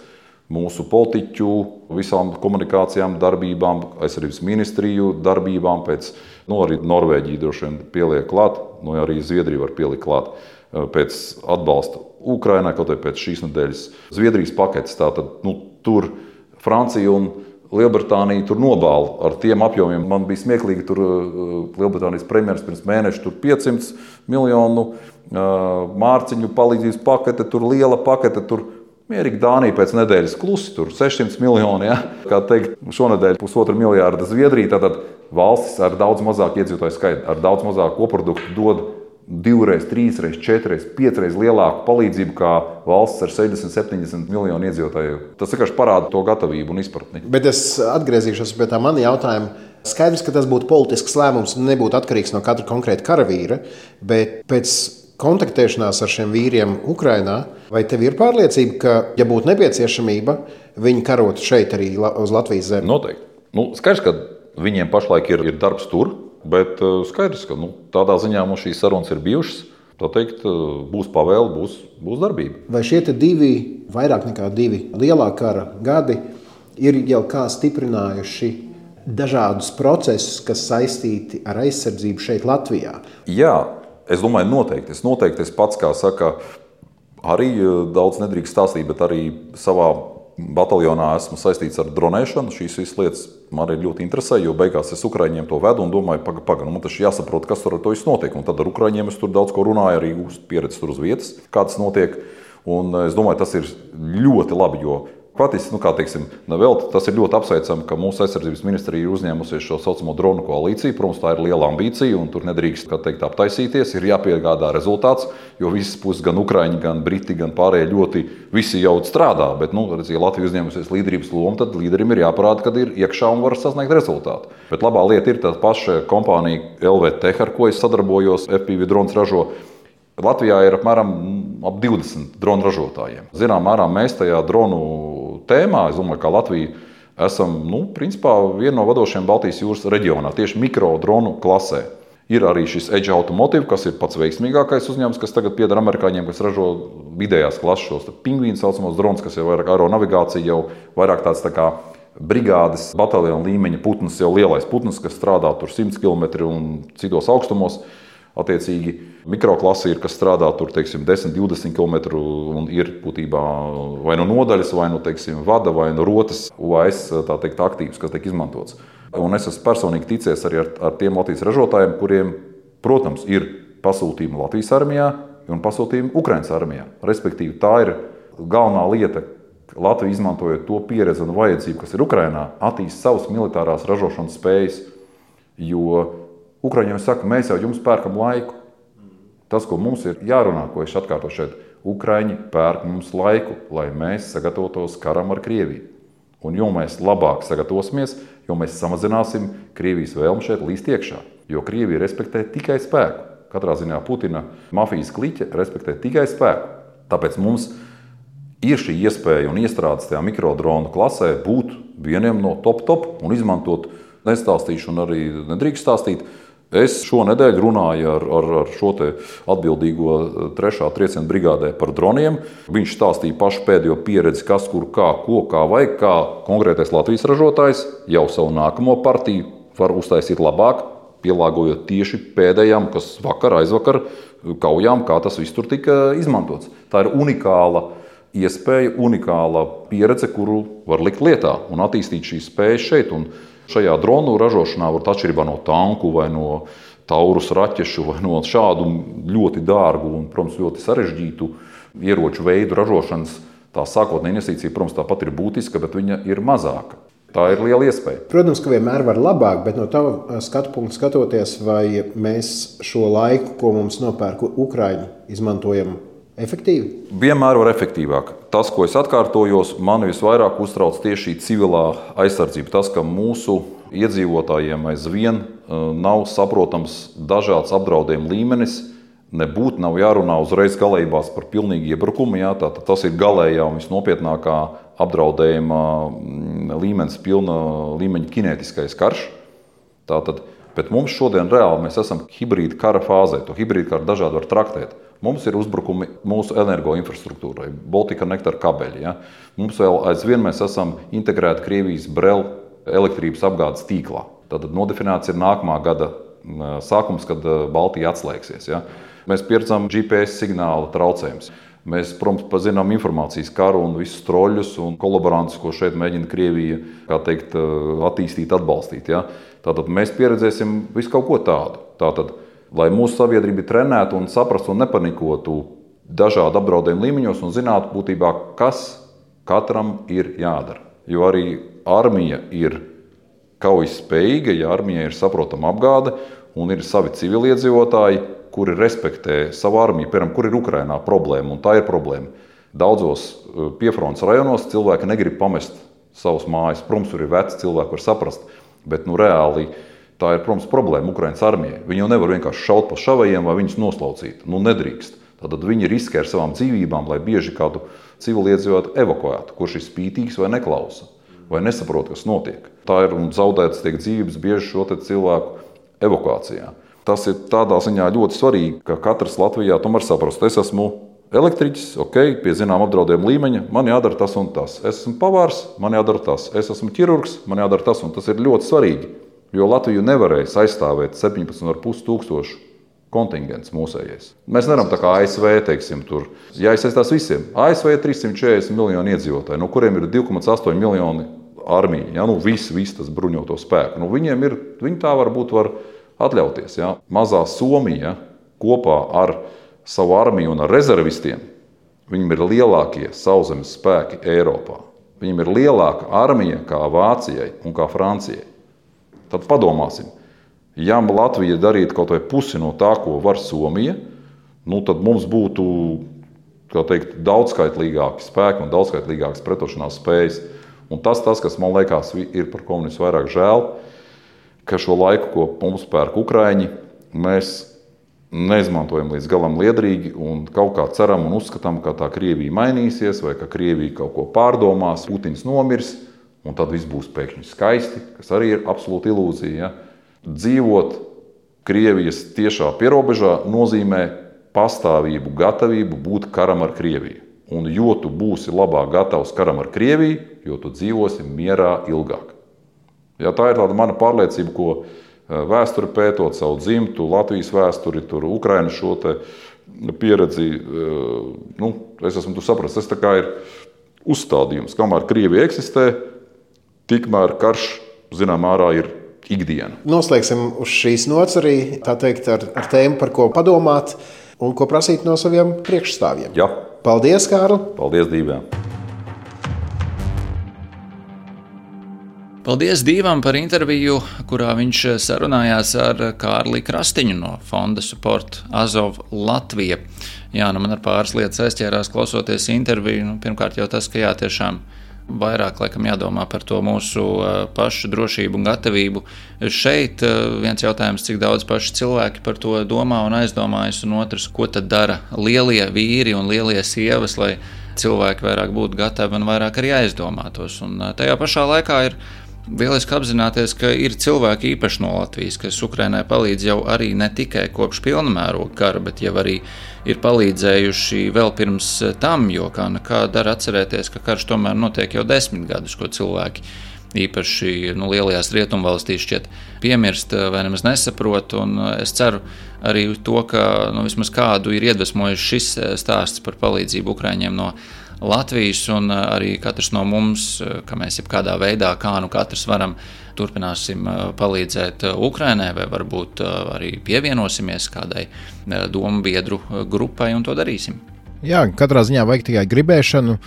mūsu politiķu, visām komunikācijām, darbībām, aizsardzības ministriju darbībām, pēc, nu, arī Norvēģija droši vien pieliek klāt, nu, arī Zviedrija var pielikt klāt pēc atbalsta Ukrainai, kaut vai pēc šīs nedēļas Zviedrijas paketes. Tātad, nu, tur Francija un Lielbritānija tur nobāla ar tiem apjomiem. Man bija smieklīgi, tur Lielbritānijas premjeras pirms mēneša tur piecsimt miljonu mārciņu palīdzības pakete, tur liela pakete, tur mierīgi Dānija pēc nedēļas klusi, tur sešsimt miljoni, ja? Kā teikt, šonedēļ pusotru miljārdu Zviedrija, tātad valstis ar daudz mazāk iedzīvotāju skaitu, ar daudz mazāk koproduktu dod divreiz, trīsreiz, četreiz, piecreiz lielāku palīdzību kā valsts ar sešdesmit, septiņdesmit miljonu iedzīvotāju. Tas vienkārši parāda to gatavību un izpratni. Bet es atgriezīšos pie tā mana jautājuma. Skaidrs, ka tas būtu politisks lēmums un nebūtu atkarīgs no katra konkrēta karavīra, bet pēc kontaktēšanās ar šiem vīriem Ukrainā, vai tev ir pārliecība, ka, ja būtu nepieciešamība, viņi karotu šeit arī uz Latvijas zemi? Noteikti. Nu, skaidrs, ka viņiem pašlaik ir, ir darbs tur, bet skaidrs, ka nu, tādā ziņā mums šīs sarunas ir bijušas. Tā teikt, būs pavēle, būs, būs darbība. Vai šie te divi, vairāk nekā divi lielā kara gadi ir jau kā stiprinājuši dažādus procesus, kas saistīti ar aizsardzību šeit Latvijā? Jā, es domāju noteikti. Es noteikti es pats, kā saka, arī daudz nedrīkst stāstīt, bet arī savā bataljonā esmu saistīts ar dronēšanu. Šīs visas lietas man ir ļoti interesē, jo beigās es Ukraiņiem to vedu un domāju, paga, paga, nu man taču jāsaprot, kas tur ar to viss notiek. Un tad ar Ukraiņiem es tur daudz ko runāju, arī uz pieredzi tur uz vietas, kā tas notiek. Un es domāju, tas ir ļoti labi, jo patiesi, nu kā teiksim, nevēl, tas ir ļoti apsveicami, ka mūsu aizsardzības ministrija ir uzņēmusies šo saucamo dronu koalīciju. Protams, tā ir liela ambīcija un tur nedrīkst, kā teikt, aptaisīties, ir jāpiegādā rezultāts, jo visas puses, gan Ukraiņi, gan Briti, gan pārējie ļoti visi jau strādā. Bet, nu, redz, ja Latvija uzņēmusies līderības lomu, tad līderim ir jāparāda, kad ir iekšā un var sasniegt rezultātu. Bet labā lieta ir tā paša kompānija L V Tech, ar ko es sadarbojos, F P V drones ražo. Latvijā ir apmēram ap divdesmit dronu ražotājiem. Zinām, mērā mēs tajā dronu tēmā, es domāju, ka Latvija esam, nu, principā viena no vadošajiem Baltijas jūras reģionā, tieši mikro dronu klasē. Ir arī šis Edge Automotive, kas ir pats veiksmīgākais uzņēmums, kas tagad pieder amerikāņiem, kas ražo vidējās klases šos pingvīnu saucamos dronas, kas jau vairāk aeronavigācija, jau vairāk tāds tā kā brigādes bataljona līmeņa putns, jau lielais putns, kas strādā tur simts kilometri un citos augstumos. Attiecīgi, mikroklasi ir, kas strādā tur, teiksim, desmit divdesmit kilometru un ir būtībā vai no nodaļas, vai no, teiksim, vada, vai no rotas U A S, tā teikt, aktīvs, kas tiek izmantots. Un es esmu personīgi ticies arī ar, ar tiem Latvijas ražotājiem, kuriem, protams, ir pasūtījumi Latvijas armijā un pasūtījumi Ukrainas armijā. Respektīvi, tā ir galvenā lieta, Latvija izmantojot to pieredzi un vajadzību, kas ir Ukrainā, attīst savas militārās ražošanas spējas, jo Ukraiņiem saka, mēs jau jums pērkam laiku. Tas, ko mums ir jārunā, ko es atkārtoju šeit, Ukraiņi pērk mums laiku, lai mēs sagatavotos karam ar Krieviju. Un jo mēs labāk sagatavosimies, jo mēs samazināsim Krievijas vēlmu šeit līst iekšā. Jo Krievija respektē tikai spēku. Katrā ziņā Putina mafijas kliķe respektē tikai spēku. Tāpēc mums ir šī iespēja un iestrādes tajā mikrodronu klasē būt vieniem no top top un izmantot, nestāstīšu un arī nedrīkst stāstīt. Es šonedēļ runāju ar, ar, ar šo te atbildīgo trešā trieciena brigādē par droniem. Viņš stāstīja pašu pēdējo pieredzi, kas, kur, kā, ko, kā vajag, kā konkrētais Latvijas ražotājs jau savu nākamo partiju var uztaisīt labāk, pielāgojot tieši pēdējām, kas vakar, aizvakar kaujām, kā tas viss tur tika izmantots. Tā ir unikāla iespēja, unikāla pieredze, kuru var likt lietā un attīstīt šīs spējas šeit. Un šajā dronu ražošanā var atšķirībā no tanku vai no taurus raķešu vai no šādu ļoti dārgu un, protams, ļoti sarežģītu ieroču veidu ražošanas. Tā sākotnējā investīcija, protams, tāpat ir būtiska, bet viņa ir mazāka. Tā ir liela iespēja. Protams, ka vienmēr var labāk, bet no tava skatu punkta skatoties, vai mēs šo laiku, ko mums nopērk Ukraiņi, izmantojam efektīvi? Vienmēr var efektīvāk. Tas, ko es atkārtojos, mani visvairāk uztrauc tieši civilā aizsardzība. Tas, ka mūsu iedzīvotājiem aizvien nav saprotams dažāds apdraudējuma līmenis, nebūtu nav jārunā uzreiz galējībās par pilnīgu iebrukumu. Jā, tātad tas ir galējā un visnopietnākā apdraudējuma līmenis, pilna līmeņa kinētiskais karš. Tātad, bet mums šodien reāli mēs esam hibrīda kara fāzē. To hibrīda karu dažādi var traktēt. Mums ir uzbrukumi mūsu energoinfrastruktūrai, Baltica Nectar kabeļi. Ja? Mums vēl aizvien mēs esam integrēti Krievijas Brel elektrības apgādes tīklā. Tātad nodefinēts ir nākamā gada sākums, kad Baltija atslēgsies. Ja? Mēs pieredzam G P S signāla traucējumus. Mēs, protams, pazinām informācijas karu un visus troļus un kolaborantus, ko šeit mēģina Krievija, kā teikt, attīstīt, atbalstīt. Ja? Tātad mēs pieredzēsim visu kaut ko tādu. Tātad, lai mūsu sabiedrība trenētu un saprastu un nepanikotu dažādu apdraudējumu līmeņos un zinātu būtībā, kas katram ir jādara. Jo arī armija ir kaujas spējīga, ja armija ir saprotama apgāde un ir savi civiliedzīvotāji, kuri respektē savu armiju, piemēram, kur ir Ukrainā problēma, un tā ir problēma. Daudzos piefrontes rajonos cilvēki negrib pamest savus mājas. Protams, tur ir veci cilvēki, var saprast, bet nu reāli tā ir, protams, problēma Ukrainas armijai. Viņi jau nevar vienkārši šaut pa šavajiem vai viņus noslaucīt. Nu, nedrīkst. Tātad viņi riskē ar savām dzīvībām, lai bieži kādu civiliedzīvotāju evakuētu, kurš ir spītīgs vai neklausa, vai nesaprot, kas notiek. Tā ir un zaudētas tiek dzīvības bieži šo te cilvēku evakuācijā. Tas ir tādā ziņā ļoti svarīgi, ka katrs Latvijā tomēr saprast, es esmu elektriķis, ok, pie zinām apdraudējuma līmeņa, man jādara tas un tas. Es esmu pavārs, man jādara tas. Es esmu ķirurgs, man jādara tas un tas ir ļoti svarīgi. Jo Latviju nevarēs aizstāvēt septiņpadsmit ar pus tūkstošu kontingents mūsējais. Mēs nevaram tā kā A S V, teiksim, tur jāiesaistās visiem. A S V ir trīssimt četrdesmit miljoni iedzīvotāji, no kuriem ir divi komats astoņi miljoni armija, ja? Nu, visi, visi tas bruņoto spēku. Nu, viņiem ir, viņi tā varbūt var atļauties. Ja? Mazā Somija kopā ar savu armiju un ar rezervistiem, viņiem ir lielākie sauszemes spēki Eiropā. Viņiem ir lielāka armija kā Vācijai un kā Francijai. Tad padomāsim, ja Latvija darītu kaut vai pusi no tā, ko var Somija, nu tad mums būtu, kā teikt, daudzskaitlīgāki spēki un daudzskaitlīgākas pretošanās spējas. Un tas, tas, kas man liekas, ir par komunistu vairāk žēl, ka šo laiku, ko mums pērk Ukraiņi, mēs neizmantojam līdz galam liederīgi un kaut kā ceram un uzskatām, ka tā Krievija mainīsies vai ka Krievija kaut ko pārdomās, Putins nomirs un tad viss būs pēkšņi skaisti, kas arī ir absolūta ilūzija. Ja? Dzīvot Krievijas tiešā pierobežā nozīmē pastāvību, gatavību būt karam ar Krieviju. Un jo tu būsi labāk gatavs karam ar Krieviju, jo tu dzīvosi mierā ilgāk. Ja, tā ir tāda mana pārliecība, ko vēsturi pētot, savu dzimtu, Latvijas vēsturi, tur Ukrainas šo te pieredzi, nu, es esmu tu saprast, tas tā kā ir uzstādījums. Kamēr Krievija eksistē, tikmēr karš, zinām, ārā ir ikdiena. Noslēgsim uz šīs nots arī, tā teikt, ar, ar tēmu, par ko padomāt un ko prasīt no saviem priekšstāvjiem. Jā. Paldies, Kārli! Paldies, Dīvām! Paldies Dīvam par interviju, kurā viņš sarunājās ar Kārli Krastiņu no Fonda Support Azov Latvija. Jā, nu man ar pāris lietas aizķērās klausoties interviju. Nu, pirmkārt jau tas, ka jā, tiešām vairāk laikam jādomā par to mūsu pašu drošību un gatavību. Šeit viens jautājums, cik daudz paši cilvēki par to domā un aizdomājas, un otrs, ko tad dara lielie vīri un lielie sievas, lai cilvēki vairāk būtu gatavi un vairāk arī aizdomātos. Un tajā pašā laikā ir lieliski apzināties, ka ir cilvēki īpaši no Latvijas, kas Ukrainai palīdz jau arī ne tikai kopš pilnamēroga kara, bet jau arī ir palīdzējuši vēl pirms tam, jo kā nekā dara atcerēties, ka karš tomēr notiek jau desmit gadus, ko cilvēki īpaši nu, lielajās rietumvalstīs šķiet piemirst vai nemaz nesaprot, un es ceru arī to, ka nu, vismaz kādu ir iedvesmojis šis stāsts par palīdzību Ukraiņiem no Latvijas, un arī katrs no mums, ka mēs jebkādā veidā, kā nu katrs varam, turpināsim palīdzēt Ukrainai, vai varbūt arī pievienosimies kādai domu biedru grupai, un to darīsim. Jā, katrā ziņā vajag tikai gribēšanu,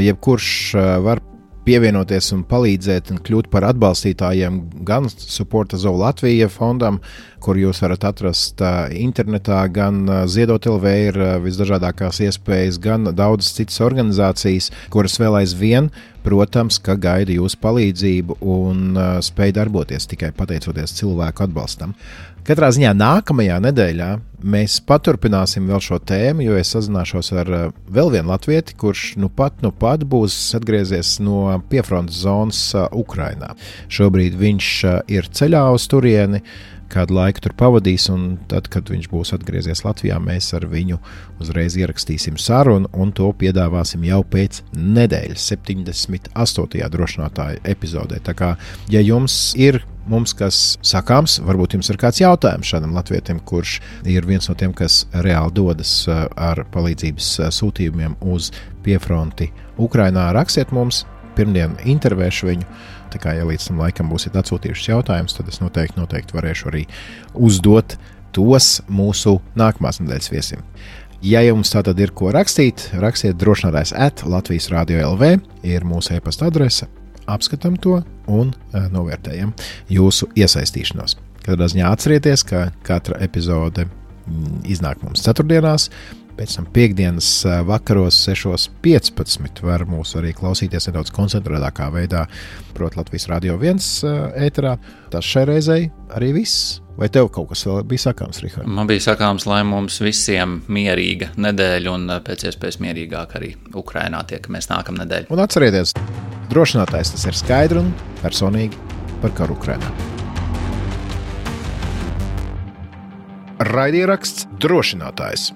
jebkurš var pievienoties un palīdzēt un kļūt par atbalstītājiem gan Support Azov Latvija fondam, kur jūs varat atrast internetā, gan Ziedot L V ir visdažādākās iespējas, gan daudzas citas organizācijas, kuras vēl aizvien, protams, ka gaida jūsu palīdzību un spēj darboties tikai pateicoties cilvēku atbalstam. Katrā ziņā nākamajā nedēļā mēs paturpināsim vēl šo tēmu, jo es sazināšos ar vēl vienu latvieti, kurš nu pat, nu pat būs atgriezies no piefrontes zonas Ukrainā. Šobrīd viņš ir ceļā uz turieni, kādu laiku tur pavadīs, un tad, kad viņš būs atgriezies Latvijā, mēs ar viņu uzreiz ierakstīsim sarunu, un to piedāvāsim jau pēc nedēļas, septiņdesmit astotajā drošinātāja epizodē. Tā kā, ja jums ir mums kas sakāms, varbūt jums ir kāds jautājums šādam latvietim, kurš ir viens no tiem, kas reāli dodas ar palīdzības sūtījumiem uz piefronti Ukrainā, rakstiet mums, pirmdien intervēšu viņu. Tā kā, ja līdz tam laikam būsiet atsūtījušas jautājumus, tad es noteikti, noteikti varēšu arī uzdot tos mūsu nākamās nedēļas viesim. Ja jums tātad ir ko rakstīt, rakstiet drošinātājs at Latvijas Radio L V, ir mūsu e-pasta adrese, apskatam to un uh, novērtējam jūsu iesaistīšanos. Katrā ziņā atcerieties, ka katra epizode mm, iznāk mums ceturtdienās, pēc tam piekdienas vakaros sešos piecpadsmit var mūs arī klausīties nedaudz koncentrētākā veidā, proti Latvijas Radio viens ēterā. Tas šai reizei arī viss. Vai tev kaut kas vēl bija sakāms, Rihard? Man bija sakāms, lai mums visiem mierīga nedēļa un pēc iespējas mierīgāk arī Ukrainā tiekamies nākamnedēļ. Un atcerieties, drošinātājs tas ir skaidri un personīgi par karu Ukrainā. Raidieraksts Drošinātājs.